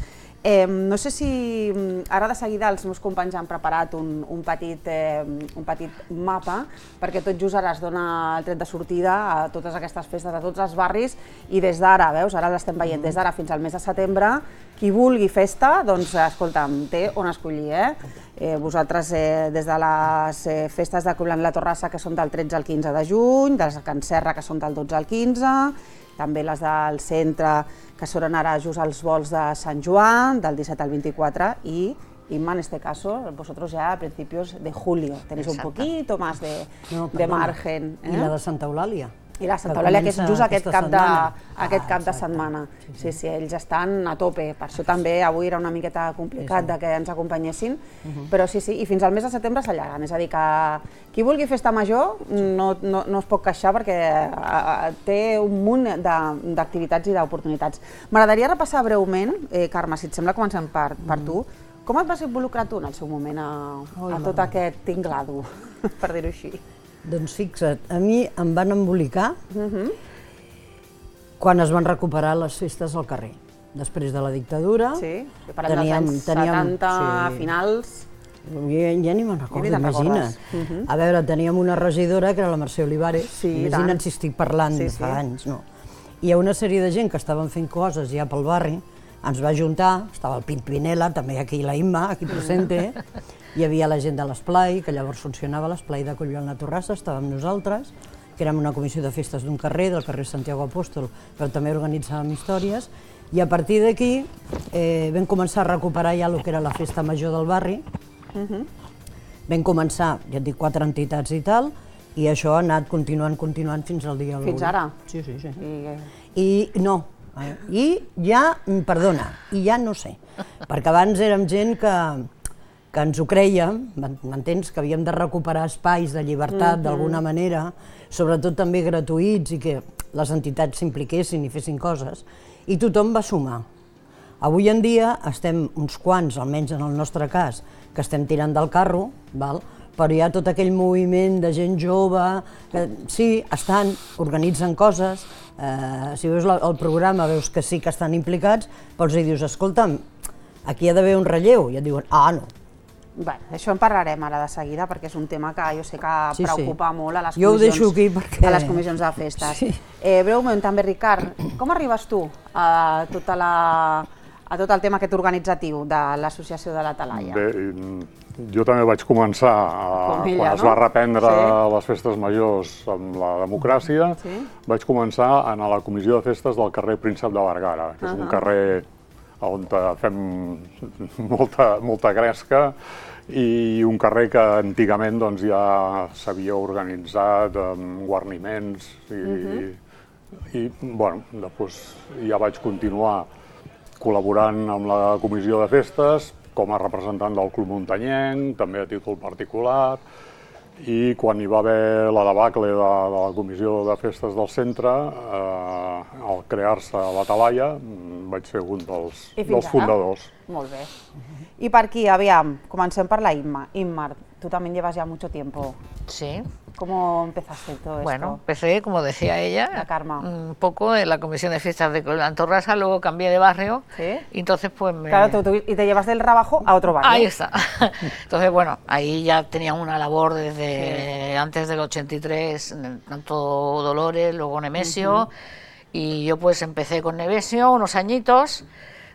No sé si ara de seguida els meus companys han preparat un petit mapa, perquè tot just ara es dona el tret de sortida a totes aquestes festes, a tots els barris, i des d'ara, veus, ara l'estem veient, des d'ara fins al mes de setembre, qui vulgui festa, doncs, escolta'm, té on escollir, eh? Vosaltres, des de les festes de Collblanc la Torrassa, que són del tretze al quinze de juny, de les de Can Serra, que són del dotze al quinze, també les del centre, que són ara just els vols de Sant Joan, del disset al vint-i-quatre, i Inma, en este caso, vosotros ya a principios de julio tenéis un poquito más de, no, de margen. Eh? I la de Santa Eulàlia. I la Santa Eulàlia, que és just aquest cap de, aquest cap de setmana. Sí, sí, ells estan a tope. Per això també avui era una miqueta complicat de que ens acompanyessin, però sí, sí, i fins al mes de setembre s'allarguen. És a dir, que qui vulgui festa major no, no, no es pot queixar perquè té un munt d'activitats i d'oportunitats. M'agradaria repassar breument, eh, Carme, si et sembla, comencem per, per tu. Com et vas involucrar tu en el seu moment a, a tot aquest tinglado, per dir-ho així? Doncs fixa't, a mi em van embolicar quan es van recuperar les festes al carrer. Després de la dictadura... Sí, parlem dels anys setanta, finals... Ja ni me'n recordo, imagina't. A veure, teníem una regidora que era la Mercè Olivares, imagina't si estic parlant de fa anys, no? Hi ha una sèrie de gent que estaven fent coses ja pel barri, ens va ajuntar, estava el Pimpinela, també aquí la Imma, aquí presente, hi havia la gent de l'Esplai, que llavors funcionava l'Esplai de Collblanc la Torrassa, estàvem nosaltres, que érem una comissió de festes d'un carrer, del carrer Santiago Apóstol, però també organitzàvem històries, i a partir d'aquí vam començar a recuperar ja el que era la festa major del barri, vam començar, ja et dic, quatre entitats i tal, i això ha anat continuant, continuant fins al dia d'avui. Fins ara? Sí, sí, sí. I no, i ja, perdona, i ja no sé, perquè abans érem gent que, que ens ho crèiem, m'entens, que havíem de recuperar espais de llibertat d'alguna manera, sobretot també gratuïts i que les entitats s'impliquessin i fessin coses, i tothom va sumar. Avui en dia estem uns quants, almenys en el nostre cas, que estem tirant del carro, val? Però hi ha tot aquell moviment de gent jove, que sí, estan, organitzen coses, eh, si veus el programa veus que sí que estan implicats, però i dius, escolta'm, aquí hi ha d'haver un relleu, i et diuen, ah, no. Bé, això en parlarem ara de seguida, perquè és un tema que jo sé que Sí, sí. preocupa molt a les Jo ho comissions, deixo aquí perquè- a les comissions de festes. Sí. Eh, breument, també, Ricard, com arribes tu a, tota la, a tot el tema aquest organitzatiu de l'associació de la Talaia? Bé, jo també vaig començar, a, ella, quan es no? va reprendre Sí. les festes majors amb la democràcia, Sí. vaig començar a anar a la comissió de festes del carrer Príncep de Vergara, que és un carrer on fem molta, molta gresca, i un carrer que antigament doncs, ja s'havia organitzat amb guarniments i, i bueno, després ja vaig continuar col·laborant amb la comissió de festes com a representant del Club Muntanyenc, també a títol particular, i quan hi va haver la debacle de, de la comissió de festes del centre, eh, al crear-se la Talaia, vaig ser un dels, dels fundadors. Molt bé. I per aquí, aviam, comencem per la Inma. Inma, tú también llevas ya mucho tiempo. Sí. ¿Cómo empezaste todo esto? Bueno, empecé, como decía ella, La Karma. un poco en la comisión de fiestas de Collblanc Torrassa, luego cambié de barrio, ¿Sí? y entonces pues me... Claro, tú, tú- y te llevas del Rabajo a otro barrio. Ahí está. Entonces, bueno, ahí ya tenía una labor desde antes del ochenta y tres, tanto Dolores, luego Nemesio, y yo pues empecé con Nemesio unos añitos,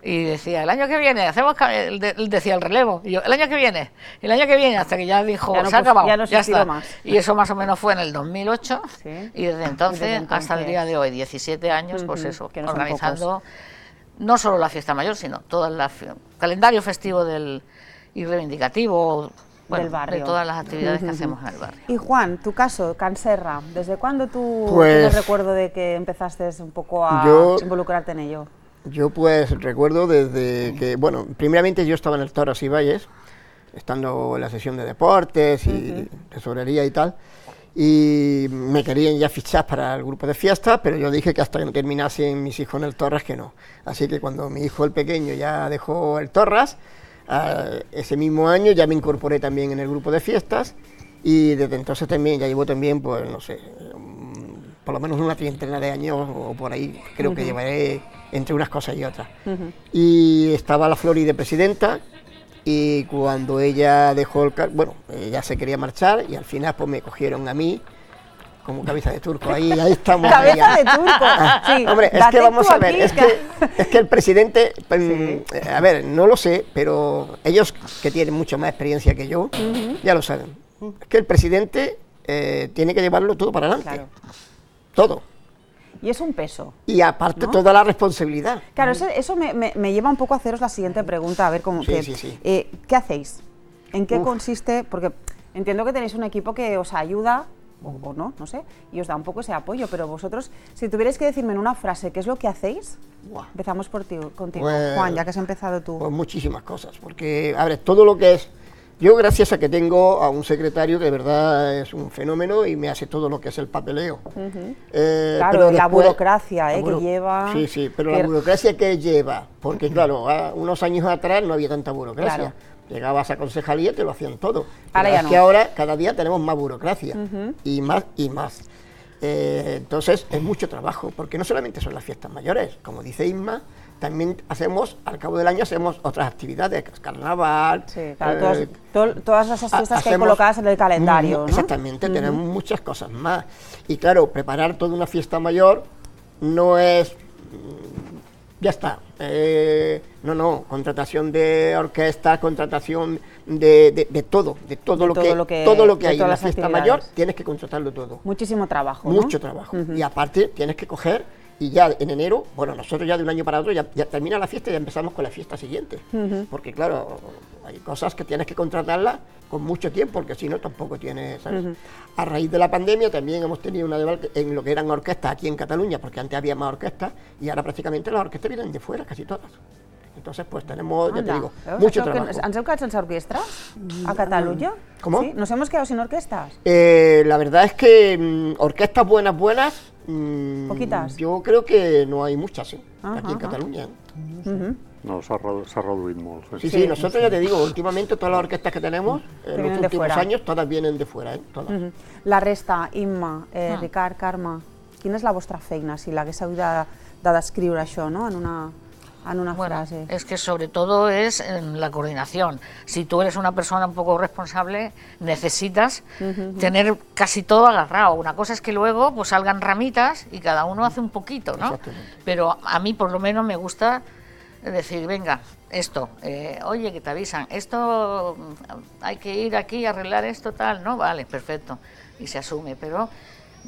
y decía, el año que viene, hacemos, ca- él de- él decía el relevo, y yo, el año que viene, el año que viene, hasta que ya dijo, Ya no se ha pus- acabado, ya no ya existió está. más. Y eso más o menos fue en el dos mil ocho, Sí. y desde entonces, Desde hasta el entonces. día de hoy, diecisiete años, pues Ujú, eso, que no son organizando no solo la fiesta mayor, sino todo el calendario festivo del, y reivindicativo, bueno, Del barrio. de todas las actividades que Ujú. hacemos en el barrio. Y Juan, tu caso, Canserra, ¿desde cuándo tú Pues- tienes recuerdo de que empezaste un poco a Yo- involucrarte en ello? Yo pues recuerdo desde que, bueno, primeramente yo estaba en el Toros y Valles, estando en la sesión de deportes y tesorería y tal, y me querían ya fichar para el grupo de fiestas, pero yo dije que hasta que no terminasen mis hijos en el Torras que no. Así que cuando mi hijo el pequeño ya dejó el Torras, eh, ese mismo año ya me incorporé también en el grupo de fiestas, y desde entonces también ya llevo también, pues no sé, por lo menos una treintena de años o por ahí, creo que llevaré entre unas cosas y otras. Y estaba la Flori de presidenta, y cuando ella dejó el cargo, bueno, ella se quería marchar, y al final pues me cogieron a mí como cabeza de turco, ahí, ahí estamos. Cabeza ahí, de turco, sí. Hombre, es date que vamos tú a ver, aquí, es que, es que el presidente, pues, mm, a ver, no lo sé, pero ellos que tienen mucha más experiencia que yo, ya lo saben. Es que el presidente eh, tiene que llevarlo todo para adelante. Claro. Todo. Y es un peso. Y aparte, ¿no?, toda la responsabilidad. Claro, eso, eso me, me, me lleva un poco a haceros la siguiente pregunta, a ver cómo... Sí, que, sí, sí. Eh, ¿Qué hacéis? ¿En qué Uf. consiste? Porque entiendo que tenéis un equipo que os ayuda, o, o no, no sé, y os da un poco ese apoyo, pero vosotros, si tuvierais que decirme en una frase qué es lo que hacéis, Buah. empezamos por ti, contigo, Pues, Juan, ya que has empezado tú. Pues muchísimas cosas, porque, a ver, todo lo que es... Yo, gracias a que tengo a un secretario que de verdad es un fenómeno y me hace todo lo que es el papeleo. Uh-huh. eh, claro, pero la después, burocracia eh, la buro que lleva... Sí, sí, pero que... la burocracia que lleva, porque claro, a unos años atrás no había tanta burocracia. Claro. Llegabas a concejalía y te lo hacían todo. Ahora Pero ya es no. que ahora cada día tenemos más burocracia, Uh-huh. y más y más. Eh, entonces es mucho trabajo, porque no solamente son las fiestas mayores, como dice Isma, también hacemos, al cabo del año hacemos otras actividades, carnaval... Sí, claro, eh, todas, to, todas esas fiestas hacemos, que hay colocadas en el calendario, ¿no? Exactamente, Uh-huh. tenemos muchas cosas más. Y claro, preparar toda una fiesta mayor no es... Ya está. Eh, no, no, contratación de orquesta, contratación de, de, de todo, de todo, De lo, todo que, lo que- todo lo que de hay en todas la las fiesta actividades. mayor, tienes que contratarlo todo. Muchísimo trabajo, ¿no? Mucho trabajo. Uh-huh. Y aparte tienes que coger, y ya en enero, bueno, nosotros ya de un año para otro, ya, ya termina la fiesta y ya empezamos con la fiesta siguiente. Uh-huh. Porque claro, hay cosas que tienes que contratarlas con mucho tiempo, porque si no tampoco tienes, ¿sabes? Uh-huh. A raíz de la pandemia también hemos tenido una deval en lo que eran orquestas aquí en Cataluña, porque antes había más orquestas, y ahora prácticamente las orquestas vienen de fuera, casi todas. Entonces, pues tenemos, ya te digo, Veus? mucho Això que trabajo. ¿Ens heu quedat sense orquestra a Cataluña? ¿Cómo? ¿Sí? ¿Nos hemos quedado sin orquestas? Eh, la verdad es que mm, orquestas buenas, buenas, mm, Poquitas. yo creo que no hay muchas, ¿eh? Ajá, aquí en ajá. Cataluña. ¿eh? Uh-huh. No, s'ha redu- s'ha reduït molt. Sí, sí, nosotros ya te digo, últimamente todas las orquestas que tenemos, en vienen los de últimos fuera. años, todas vienen de fuera, ¿eh? Todas. Uh-huh. La resta, Imma, eh, Ah. Ricard, Carme, quina és la vostra feina, si l'haguéssiu de, de descriure això, no?, en una, en una Bueno, frase. es que sobre todo es en la coordinación. Si tú eres una persona un poco responsable, necesitas Uh-huh. tener casi todo agarrado. Una cosa es que luego pues salgan ramitas y cada uno hace un poquito, ¿no? Exactamente. Pero a mí por lo menos me gusta decir, venga, esto, eh, oye, que te avisan, esto mm, hay que ir aquí a arreglar esto, tal, ¿no? Vale, perfecto, y se asume, pero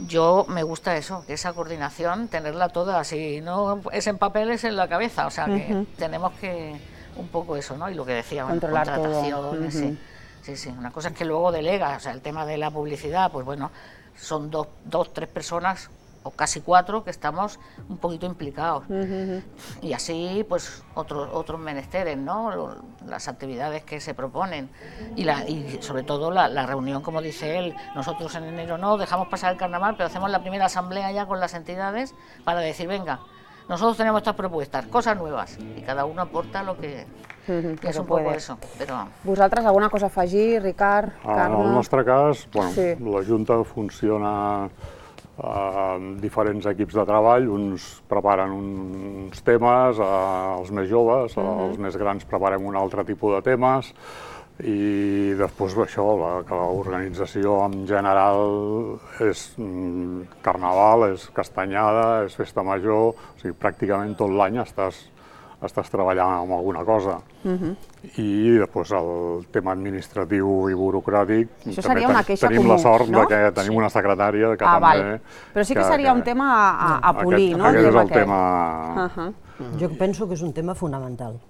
yo me gusta eso, que esa coordinación, tenerla toda, si no es en papel, es en la cabeza, o sea que Ujú. tenemos que, un poco eso, ¿no? Y lo que decía, bueno, Controlar todo. contrataciones, Ujú. sí. Sí, sí, una cosa es que luego delega, o sea, el tema de la publicidad, pues bueno, son dos, dos, tres personas, o casi cuatro, que estamos un poquito implicados. Uh-huh. Y así, pues, otros otros menesteres, ¿no? Lo- Las actividades que se proponen. Y, la, y sobre todo la, la reunión, como dice él, nosotros en enero no, dejamos pasar el carnaval, pero hacemos la primera asamblea ya con las entidades para decir, venga, nosotros tenemos estas propuestas, cosas nuevas, y cada uno aporta lo que... Uh-huh. que es un poco eso, però... Vosaltres, alguna cosa a afegir, Ricard, En Carme? el nostre cas, bueno, Sí. la Junta funciona eh, amb diferents equips de treball, uns preparen uns temes, eh, els més joves, Mhm. els més grans preparem un altre tipus de temes, i després això, la, que l'organització en general és mm, carnaval, és castanyada, és festa major, o sigui, pràcticament tot l'any estàs, estàs treballant amb alguna cosa. Uh-huh. I després el tema administratiu i burocràtic, Això també seria una ten- queixa tenim comú, la sort no? de que tenim una secretària que Ah, també... val. Però sí que seria un tema a, a, a polir, aquest, no? Aquest és tema el tema... Uh-huh. Jo penso que és un tema fonamental,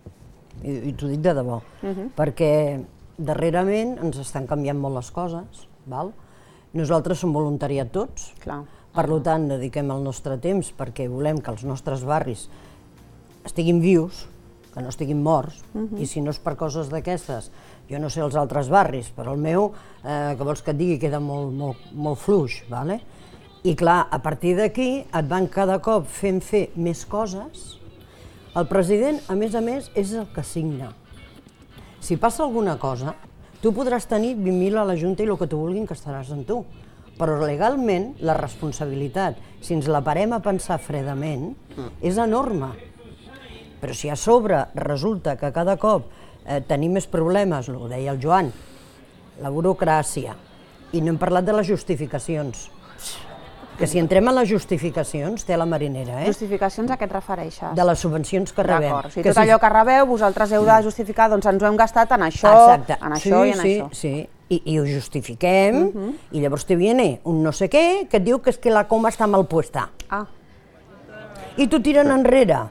i, i t'ho dic de debò, Uh-huh. perquè darrerament ens estan canviant molt les coses, val? Nosaltres som voluntariat tots, Clar. per tant dediquem el nostre temps perquè volem que els nostres barris estiguin vius, que no estiguin morts, Mhm. i si no és per coses d'aquestes, jo no sé els altres barris, però el meu, eh, que vols que et digui, queda molt, molt, molt fluix, vale? I clar, a partir d'aquí et van cada cop fent fer més coses. El president, a més a més, és el que signa. Si passa alguna cosa, tu podràs tenir vint mil a la Junta i el que tu vulguin que estaràs en tu, però legalment la responsabilitat, si ens la parem a pensar fredament, és enorme. Però si a sobre resulta que cada cop eh, tenim més problemes, ho deia el Joan, la burocràcia, i no hem parlat de les justificacions, que si entrem en les justificacions té la marinera, eh? Justificacions a què et refereixes? De les subvencions que rebem. D'acord, o sigui, Que tot si- allò que rebeu, vosaltres heu de justificar, doncs ens ho hem gastat en això, Exacte. en sí, això i en sí, això. Sí, i, i ho justifiquem, Mhm. i llavors te viene un no sé què que et diu que és que la coma està mal puesta. Ah. i t'ho tiren enrere.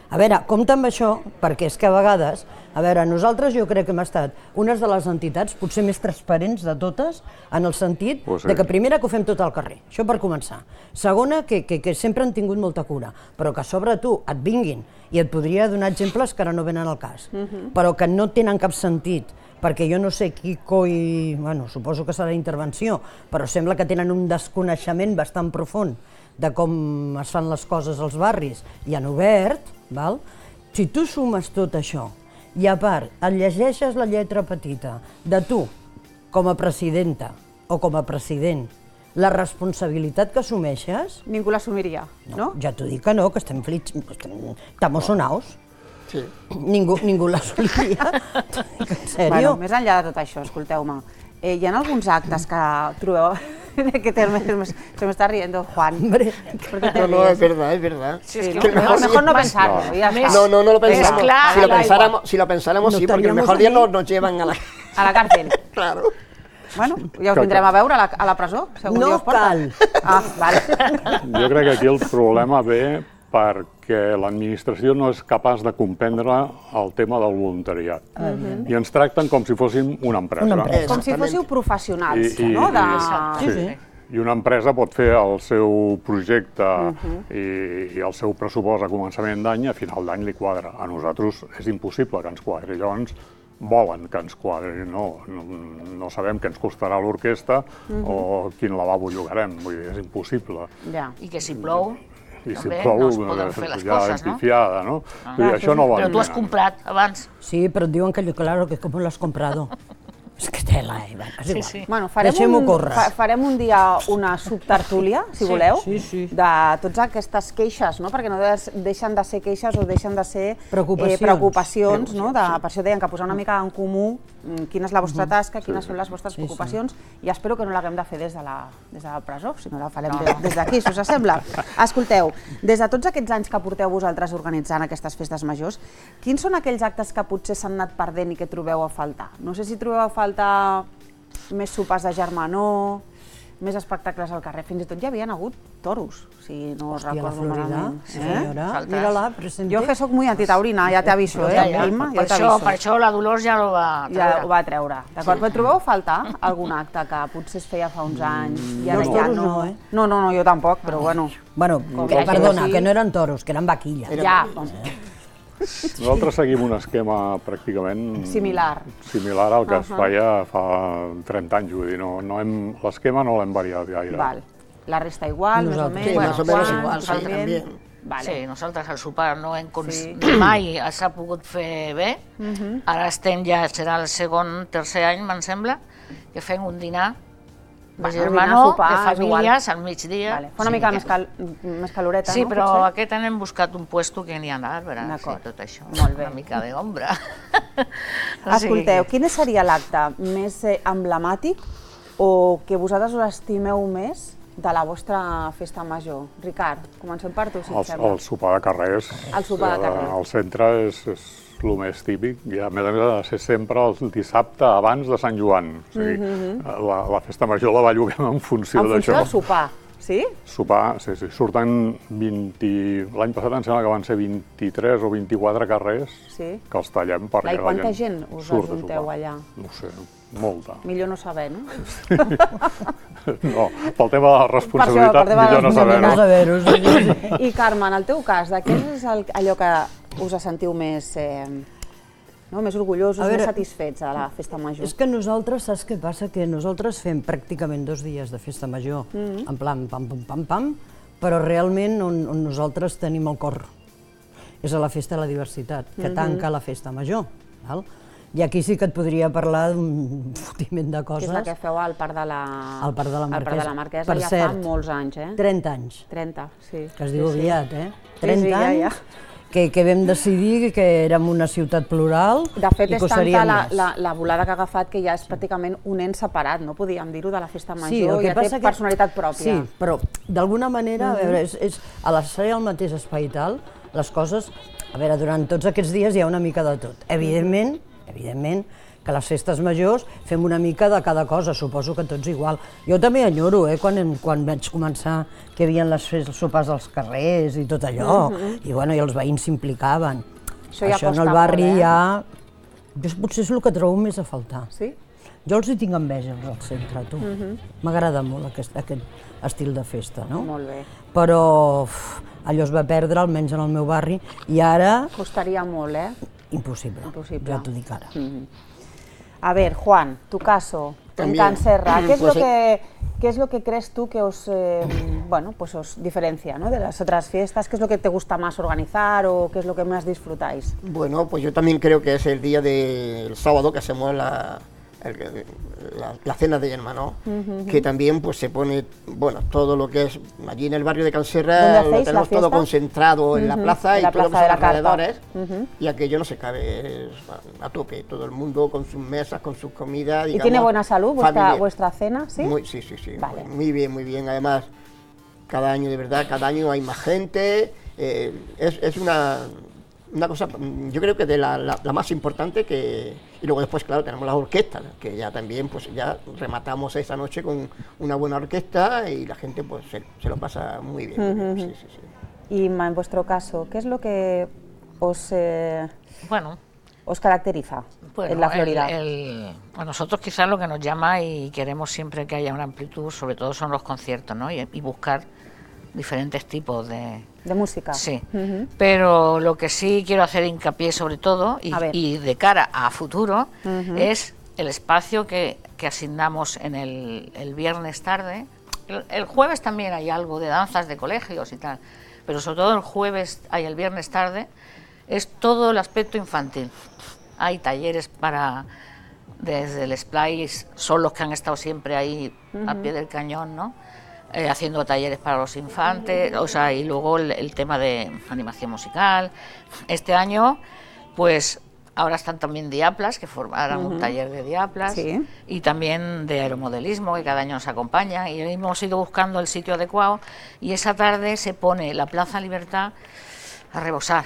A veure, compta amb això, perquè és que a vegades, a veure, nosaltres jo crec que hem estat unes de les entitats potser més transparents de totes, en el sentit de que primera que ho fem tot al carrer, això per començar. Segona, que sempre han tingut molta cura, però que a sobre tu et vinguin, i et podria donar exemples que ara no venen al cas, però que no tenen cap sentit, perquè jo no sé qui coi, bueno, suposo que serà intervenció, però sembla que tenen un desconeixement bastant profund de com es fan les coses als barris i han obert, val? Si tu sumes tot això i a part et llegeixes la lletra petita de tu com a presidenta o com a president, la responsabilitat que assumeixes... Ningú l'assumiria, no? Ja t'ho dic que no, que estem flits, estamos sonaos. Ningú l'assumiria, en sèrio. Més enllà de tot això, escolteu-me, hi ha alguns actes que trobeu... ¿Qué terme? Se me está riendo Juan. No, no, es verdad, es verdad. Sí, es que mejor, mejor no pensarlo. No. Ya está. no, no, no lo pensamos. Claro, si, lo pensáramos, si lo pensáramos, no sí, porque el mejor día nos, nos llevan a la... A la cárcel. Claro. Bueno, ja us vindrem a veure a la, a la presó, segur no Dios porta. Cal. Ah, vale. Jo crec que aquí el problema ve perquè l'administració no és capaç de comprendre el tema del voluntariat. Uh-huh. I ens tracten com si fóssim una empresa. Una empresa. Com si fóssiu professionals, I, i, no? De... Sí, sí. I una empresa pot fer el seu projecte uh-huh. i, i el seu pressupost a començament d'any i a final d'any li quadra. A nosaltres és impossible que ens quadri. Llavors volen que ens quadri. No, no, no sabem què ens costarà l'orquestra uh-huh. o quin lavabo llogarem. Vull dir, és impossible. Ja. I que si plou... I si plou, no es poden fer les coses, no? Pifiada, no? Ah, dir, això no però tu has comprat abans. Sí, però et diuen que, claro, que com l'has comprado. És que tela, eh? És igual. Sí, sí. Bueno, farem, un, fa, farem un dia una subtertúlia, si sí. voleu, sí, sí. de totes aquestes queixes, no? Perquè no deixen de ser queixes o deixen de ser preocupacions. Eh, preocupacions, no? De, per això deien que posar una mica en comú quina és la vostra tasca, quines sí, són les vostres sí, preocupacions, sí. i espero que no l'haguem de fer des de la, des de la presó, si no la farem no. des d'aquí, si us sembla. Escolteu, des de tots aquests anys que porteu vosaltres organitzant aquestes festes majors, quins són aquells actes que potser s'han anat perdent i que trobeu a faltar? No sé si trobeu a faltar més sopars de germanor, més espectacles al carrer, fins i tot hi havien hagut toros, si no us recordo malament. Sí, senyora, mira-la, presente. Jo que soc muy antitaurina, ja t'aviso, eh, Vilma, ja t'aviso. Per això la Dolors ja ho va treure. Ja ho va treure, d'acord? Però trobeu a faltar algun acte que potser es feia fa uns anys i ara ja no... No, no, no, jo tampoc, però bueno... Bueno, perdona, que no eren toros, que eren vaquilles. Ja, nosaltres seguim un esquema pràcticament similar similar al que es feia fa trenta anys, vull dir, l'esquema no l'hem variat gaire. La resta igual, més o menys? Sí, més o menys igual, sí, també. Sí, nosaltres al sopar no hem mai s'ha pogut fer bé, ara estem ja, serà el segon, tercer any, me'n sembla, que fem un dinar de germanor, de famílies, al migdia. Fa una mica més caloreta, no? Sí, però aquest any hem buscat un puesto que n'hi ha d'arbres i tot això. Una mica d'ombra. Escolteu, quin seria l'acte més emblemàtic o que vosaltres us estimeu més de la vostra festa major? Ricard, comencem per tu, si et sembla. El sopar de carrer. El sopar de carrer. Al centre és el més típic, i a més a més ha de ser sempre el dissabte abans de Sant Joan. O sigui, la festa major la belluguem en funció d'això. En funció del sopar, sí? Sopar, sí, sí. Surten vint... L'any passat em sembla que van ser vint-i-tres o vint-i-quatre carrers que els tallem perquè la gent... I quanta gent us ajunteu allà? No sé, molta. Millor no saber, no? No, pel tema de la responsabilitat, millor no saber-ho. I Carme, en el teu cas, de què és allò que us sentiu més més orgullosos, més satisfets a la festa major? És que nosaltres, saps què passa? Que nosaltres fem pràcticament dos dies de festa major, en plan pam, pam, pam, pam, però realment on nosaltres tenim el cor és a la festa de la diversitat, que tanca la festa major. I aquí sí que et podria parlar d'un fotiment de coses. Que és la que feu al Parc de la Marquesa, ja fa molts anys, eh? trenta anys. trenta, sí. Que es diu aviat, eh? trenta anys, que vam decidir que érem una ciutat plural i que ho seríem més. De fet, és tanta la volada que ha agafat que ja és pràcticament un ens separat, no podíem dir-ho, de la festa major, ja té personalitat pròpia. Sí, però d'alguna manera, a veure, a l'espai al mateix espai i tal, les coses, a veure, durant tots aquests dies hi ha una mica de tot. Evidentment, evidentment, que les festes majors fem una mica de cada cosa, suposo que tots igual. Jo també enyoro, eh, quan, quan vaig començar que hi havia les sopars als carrers i tot allò, mm-hmm. i bueno, i els veïns s'implicaven. Això, ja Això en el barri molt, eh? ja... Jo potser és el que trobo més a faltar. Sí? Jo els hi tinc enveja al centre, tu. M'agrada mm-hmm. molt aquest, aquest estil de festa, no? Molt bé. Però uf, allò es va perdre, almenys en el meu barri, i ara... Costaria molt, eh? Imposible, Imposible. ya te digo ahora. Mm-hmm. A ver, Juan, tu caso, También. en Canserra, ¿qué es, pues, lo que, ¿qué es lo que crees tú que os, eh, bueno, pues os diferencia, ¿no?, de las otras fiestas? ¿Qué es lo que te gusta más organizar o qué es lo que más disfrutáis? Bueno, pues yo también creo que es el día del sábado que hacemos la... El, la, la cena de Yerma, ¿no? Uh-huh. Que también pues se pone, bueno, todo lo que es allí en el barrio de Canserra, lo tenemos todo concentrado uh-huh. en la plaza en y la todo plaza lo que son alrededores, uh-huh. y aquello no se cabe, es a tope, todo el mundo con sus mesas, con sus comidas. ¿Y digamos, tiene buena salud vuestra, vuestra cena? ¿Sí? Muy, sí, sí, sí, vale. muy bien, muy bien, además cada año, de verdad, cada año hay más gente, eh, es, es una... Una cosa, yo creo que de la, la, la más importante, que y luego después, claro, tenemos las orquestas, que ya también, pues ya rematamos esa noche con una buena orquesta y la gente pues se, se lo pasa muy bien. Muy bien. Sí, sí, sí. Y en vuestro caso, ¿qué es lo que os, eh, bueno, os caracteriza bueno, en la Florida? El, el, a nosotros quizás lo que nos llama y queremos siempre que haya una amplitud, sobre todo son los conciertos, ¿no? Y, y buscar diferentes tipos de... ¿De música? Sí, uh-huh. Pero lo que sí quiero hacer hincapié sobre todo, y, y de cara a futuro, uh-huh. es el espacio que, que asignamos en el, el viernes tarde. El, el jueves también hay algo de danzas de colegios y tal, pero sobre todo el jueves hay el viernes tarde, es todo el aspecto infantil. Hay talleres para... Desde el Splice, son los que han estado siempre ahí uh-huh. al pie del cañón, ¿no? Eh, haciendo talleres para los infantes, o sea, y luego el, el tema de animación musical. Este año, pues, ahora están también diaplas, que formarán uh-huh. un taller de diaplas, sí. y también de aeromodelismo, que cada año nos acompaña, y hemos ido buscando el sitio adecuado, y esa tarde se pone la Plaza Libertad a rebosar.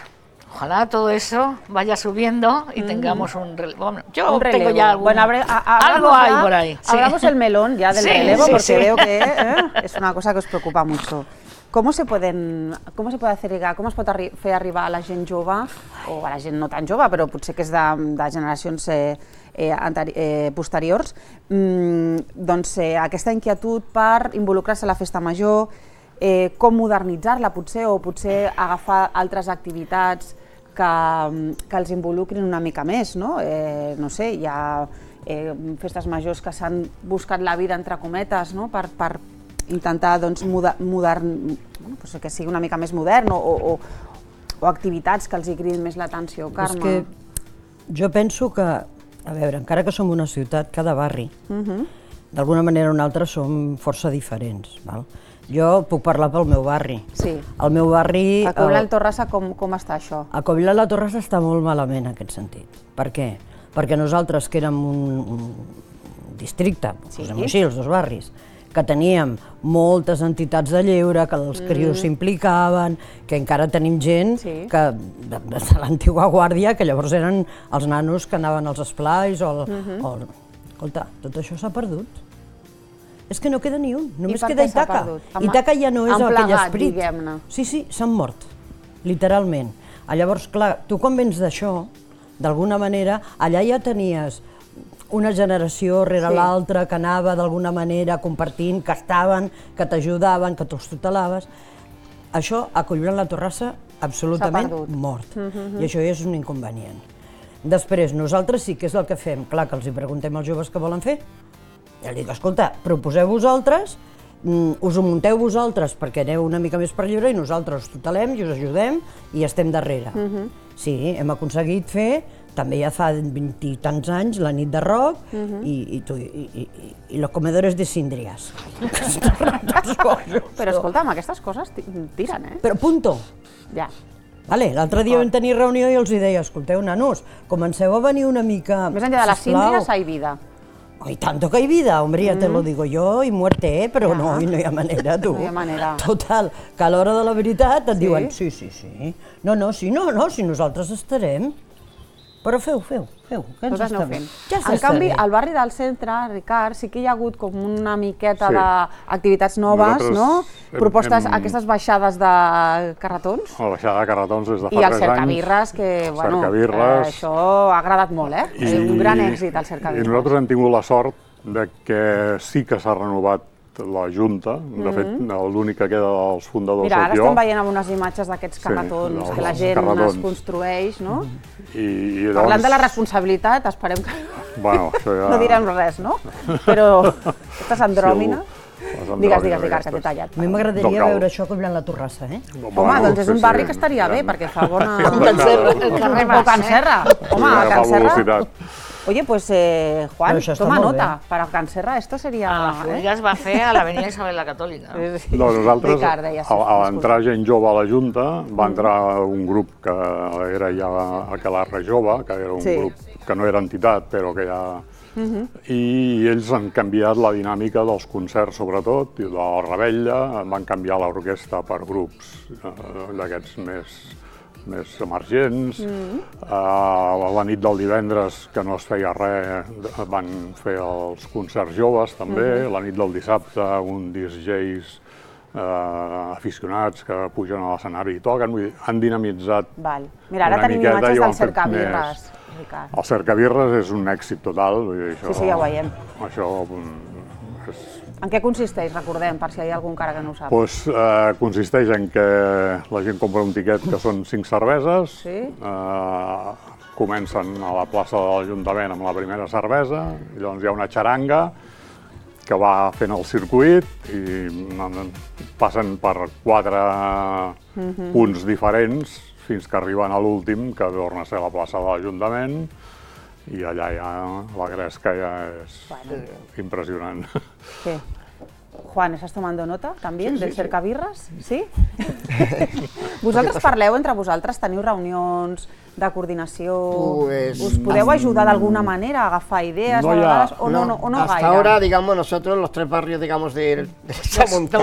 Ojalá todo eso vaya subiendo y tengamos un relevo. Bueno, yo un relevo. tengo ya algún, bueno, abre, a, a, algo hay por ahí. Sí. Abramos el melón ya del sí, relevo, sí, porque sí. veo que eh, es una cosa que os preocupa mucho. ¿Cómo se pueden, cómo se puede hacer llegar, com es pot arri fer arribar a la gent jove, o a la gent no tan jove, però potser que és de, de generacions eh, eh, eh, posteriors, mm, doncs eh, aquesta inquietud per involucrar-se a la festa major, eh, com modernitzar-la potser, o potser agafar altres activitats que, que els involucrin una mica més, no? Eh, no sé, hi ha eh, festes majors que s'han buscat la vida entre cometes, no? per, per intentar doncs, moder, modern, bueno, pues que sigui una mica més modern, o, o, o activitats que els hi cridin més l'atenció. Carme? És que jo penso que, a veure, encara que som una ciutat, cada barri, uh-huh. d'alguna manera o una altra som força diferents, val? Jo puc parlar pel meu barri. Sí. El meu barri... A Covilhã de Torrassa com, com està això? A Covilhã de Torrassa està molt malament en aquest sentit. Per què? Perquè nosaltres, que érem un, un districte, sí. posem així, els dos barris, que teníem moltes entitats de lleure, que els crios mm. s'implicaven, que encara tenim gent sí. que, de, de l'antiga guàrdia, que llavors eren els nanos que anaven als esplais o... El, mm-hmm. o escolta, tot això s'ha perdut. És que no queda ni un, només queda Ítaca. Ítaca ja no és aquell esperit. Sí, sí, s'han mort, literalment. Llavors, clar, tu quan vens d'això, d'alguna manera, allà ja tenies una generació rere sí. l'altra que anava d'alguna manera compartint, que estaven, que t'ajudaven, que t'ho tutelaves. Això, a Covilhã de Torrassa, absolutament mort. Uh-huh. I això és un inconvenient. Després, nosaltres sí que és el que fem. Clar, que els hi preguntem als joves què volen fer. I els dic, escolta, proposeu vosaltres, us ho munteu vosaltres perquè aneu una mica més per lliure i nosaltres us tutelem i us ajudem i estem darrere. Uh-huh. Sí, hem aconseguit fer, també ja fa vint i tants anys, la nit de rock uh-huh. i, i, tu, i, i, i los comedores de síndries. Però escolta'm, aquestes coses tiren, eh? Però punto. Ja. Vale, l'altre dia vam tenir reunió i els deia, escolteu, nanos, comenceu a venir una mica... Més enllà de les síndries hay vida. Y tanto que hay vida, hombre, ya mm. te lo digo yo, y muerte, eh? Però no, no hi ha manera, tu. No hi ha manera. Total, que a l'hora de la veritat et sí? diuen, sí, sí, sí, no, no, sí, no, no, si nosaltres estarem, però feu, feu, feu, què ens Totes està aneu bé? fent. En canvi, al barri del centre, Ricard, sí que hi ha hagut com una miqueta d'activitats noves, no? Propostes, aquestes baixades de carretons. La baixada de carretons des de fa tres anys. I el cercabirres, que, bueno, això ha agradat molt, eh? Un gran èxit, el cercabirres. I nosaltres hem tingut la sort de que sí que s'ha renovat la Junta, de fet, l'únic que queda dels fundadors Mira, ara sóc jo. estem veient algunes imatges d'aquests carretons que la gent es construeix, no? Parlant de la responsabilitat, esperem que no direm res, no? Però aquestes andròmines... Digues, digues, Ricard, que t'he tallat. A mi m'agradaria veure això com la Torrassa, eh? Home, doncs és un barri que estaria bé, perquè fa bona... El carrer Mas, eh? O Can Serra. Home, a Can Serra... Oye, pues eh, Juan, toma nota, para Can Serra esto sería... A la Florida es va fer a l'avenida Isabel la Catòlica. Doncs nosaltres, a l'entrar gent jove a la Junta, va entrar un grup que era ja Aquelarre Jove, que era un grup que no era entitat, però que ja... I ells han canviat la dinàmica dels concerts, sobretot, i de la revetlla, van canviar l'orquestra per grups d'aquests més... més emergents. La nit del divendres, que no es feia res, van fer els concerts joves també. La nit del dissabte, un disc jockeys aficionats que pugen a l'escenari i toquen. Han dinamitzat una miqueta. Mira, ara tenim imatges del cercabirres. El cercabirres és un èxit total. Sí, sí, ja ho veiem. Això és... En què consisteix, recordem, per si hi ha algú encara que no ho sap? Doncs consisteix en que la gent compra un tiquet que són cinc cerveses, comencen a la plaça de l'Ajuntament amb la primera cervesa, i llavors hi ha una xaranga que va fent el circuit i passen per quatre punts diferents fins que arriben a l'últim, que torna a ser la plaça de l'Ajuntament, i allà ja la gresca ja és impressionant. ¿Qué? Juan, ¿estás tomando nota también del cercabirres? Sí? Vosaltres parleu entre vosaltres, teniu reunions de coordinació, us podeu ajudar d'alguna manera a agafar idees a vegades o no gaire? Hasta ahora, digamos, nosotros los tres barrios, digamos, de Samuntá,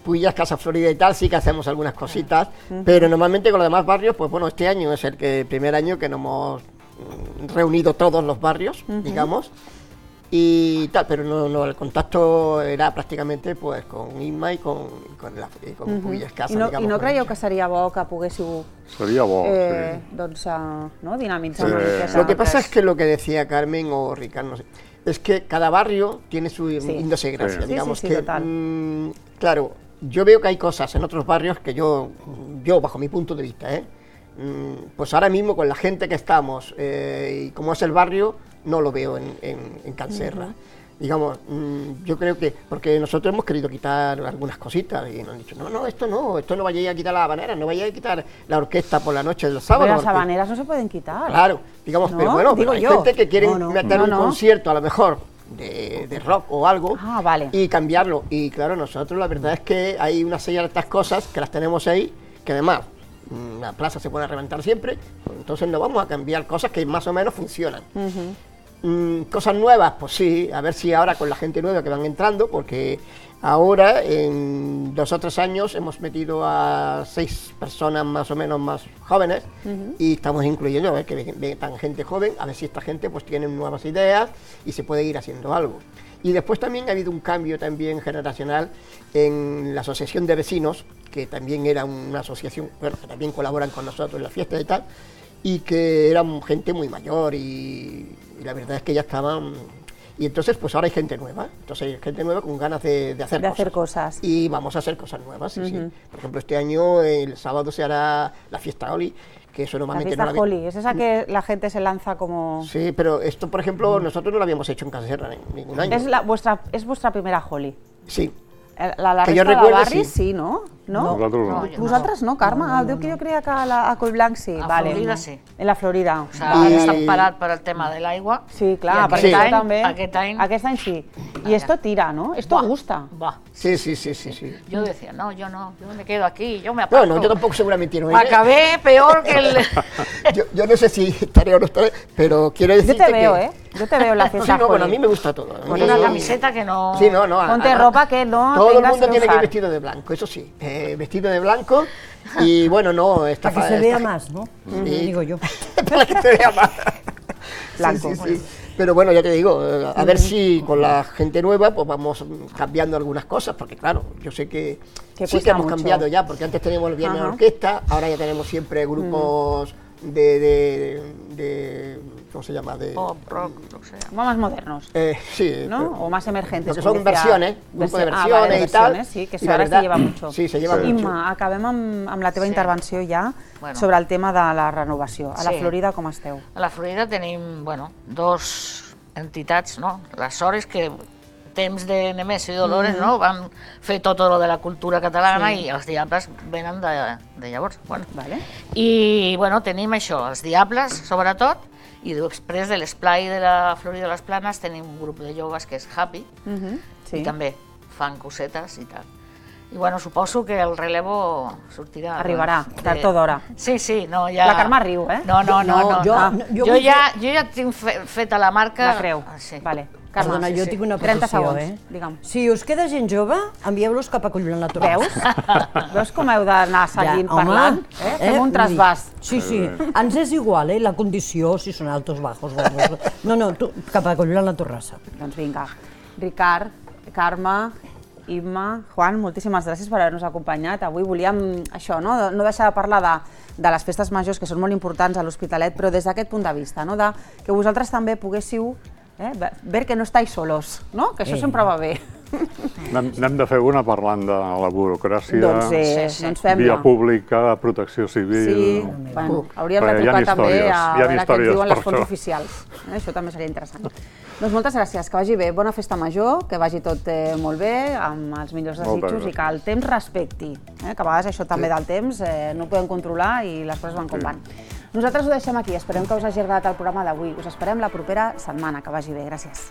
Puyas, Casa Florida y tal, sí que hacemos algunas cositas, pero normalmente con los demás barrios, pues bueno, este año es el primer año que nos hemos reunido todos los barrios, digamos, y tal, pero no, no, el contacto era prácticamente pues con Inma y con, con, la, y con uh -huh. Puyas Casa. I no, digamos, i no creieu que seria bo que poguéssiu sería bo, eh, sí. doncs, uh, ¿no? dinamitzar sí. una miqueta? Lo que pasa es que lo que decía Carmen o Ricardo, no sé, es que cada barrio tiene su sí. idiosincrasia, sí. digamos sí, sí, sí, que, mmm, claro, yo veo que hay cosas en otros barrios que yo, yo bajo mi punto de vista, ¿eh? pues ahora mismo con la gente que estamos eh, y como es el barrio, no lo veo en, en, en Can Serra. Uh-huh. Digamos, mmm, yo creo que, porque nosotros hemos querido quitar algunas cositas y nos han dicho, no, no, esto no, esto no vayáis a quitar la habanera, no vayáis a quitar la orquesta por la noche del sábado. Pero las porque, habaneras no se pueden quitar. Claro, digamos, ¿no? pero bueno, Digo pero hay yo. gente que quiere no, no, meter no, un no. concierto a lo mejor de, de rock o algo ah, vale. y cambiarlo. Y claro, nosotros la verdad es que hay una serie de estas cosas que las tenemos ahí, que además la plaza se puede reventar siempre, entonces no vamos a cambiar cosas que más o menos funcionan. Uh-huh. mm, cosas nuevas, pues sí, a ver si ahora con la gente nueva que van entrando, porque ahora en dos o tres años hemos metido a seis personas más o menos más jóvenes uh-huh. y estamos incluyendo a ver que vengan gente joven, a ver si esta gente pues tiene nuevas ideas y se puede ir haciendo algo. Y después también ha habido un cambio también generacional en la asociación de vecinos, que también era una asociación, bueno, que también colaboran con nosotros en la fiesta y tal, y que eran gente muy mayor y, y la verdad es que ya estaban... Y entonces pues ahora hay gente nueva, entonces hay gente nueva con ganas de, de, hacer, de cosas. hacer cosas. Y vamos a hacer cosas nuevas, sí, uh-huh. sí. Por ejemplo, este año, el sábado se hará la fiesta Oli, que eso normalmente la fiesta no la Holi, es esa que la gente se lanza como... Sí, pero esto, por ejemplo, nosotros no lo habíamos hecho en Can Serra en ningún año. Es, la, vuestra, es vuestra primera Holi. Sí. La, la que resta jo recuerde, de barris, sí, sí no? No? Nosaltres no. no. Vosaltres no, Carme? No, no, no, no. Que jo creia que a, la, a Collblanc sí. A vale. Florida sí. En la Florida. O sigui, I... estan parat per al tema de l'aigua. Sí, clar, perquè aquest sí. any, també... Aquest any... Aquest any sí. Y esto tira, ¿no? Esto gusta. Va. Sí, sí, sí, sí, sí. Yo decía, no, yo no, yo me quedo aquí, yo me aparto. No, no, yo tampoco seguramente no. Acabé peor que el... yo, yo no sé si estaré o no estaré, pero quiero decirte que... Yo te veo, ¿eh? Yo te veo en la fiesta. Sí, no, bueno, a mí me gusta todo. Con una camiseta que no... Sí, no, no. Ponte ropa que no todo el mundo tiene que ir vestido de blanco, eso sí. Eh, vestido de blanco y bueno, no... Esta, para que se vea más, ¿no? Sí. Digo yo. Para que se vea más. Blanco. Sí, sí, sí. Pero bueno, ya te digo, a ver si con la gente nueva pues vamos cambiando algunas cosas, porque claro, yo sé que que sí que hemos mucho. cambiado ya, porque antes teníamos el viernes de orquesta, ahora ya tenemos siempre grupos mm. de, de, de, ¿cómo se llama? De, pop, rock, lo que sea. Más modernos. Eh, sí. ¿No? O más emergentes. Porque son versiones, grupo de versiones ah, vale, y tal. Versiones, sí, que això ara se lleva mucho. Sí, se lleva sí. mucho. Imma, acabem amb, amb la teva sí. intervenció ja bueno. sobre el tema de la renovació. A la sí. Florida com esteu? A la Florida tenim, bueno, dos entitats, no? Les Sores, que temps de Nemesio i Dolores, mm -hmm. no? Van fer tot lo de la cultura catalana sí. i els Diables venen de, de llavors. Bueno. Vale. I, bueno, tenim això, els Diables, sobretot, i després de l'esplai de la Florida de les Planes tenim un grup de joves que és Happy, mm -hmm. sí. i també fan cosetes i tal. I bueno, suposo que el relevo sortirà... Arribarà, tard o d'hora. Sí, sí, no, ja... La Carme riu, eh? No, no, no, no. Jo, no. no, jo, jo, ja, jo ja tinc fe, feta la marca... La creu, ah, sí. vale. Carme, Perdona, sí, jo sí. tinc una trenta petició, segons, eh? digue'm. Si us queda gent jove, envieu-los cap a Collonant la Torre. Veus? Veus com heu d'anar seguint ja, parlant? Eh? Fem eh? un trasbàs. Sí, sí, ens és igual, eh? La condició, si són altos, bajos, gordos... No, no, tu, cap a Collonant la Torrassa. Doncs vinga. Ricard, Carme, Imma, Juan, moltíssimes gràcies per haver-nos acompanyat. Avui volíem això, no, no deixar de parlar de, de les festes majors, que són molt importants a l'Hospitalet, però des d'aquest punt de vista, no? De que vosaltres també poguéssiu eh, ver que no estáis solos, no? Que això eh. sempre va bé. N'hem de fer una parlant de la burocràcia, doncs, eh, sí, sí. doncs fem-la. via pública, protecció civil... Sí, bueno, hauríem de trucar també a veure què ens diuen les fonts oficials. Eh, això també seria interessant. Doncs moltes gràcies, que vagi bé, bona festa major, que vagi tot eh, molt bé, amb els millors desitjos i que el temps respecti, eh, que a vegades això també del temps eh, no ho podem controlar i les coses van com van. Nosaltres ho deixem aquí, esperem que us hagi agradat el programa d'avui, us esperem la propera setmana, que vagi bé, gràcies.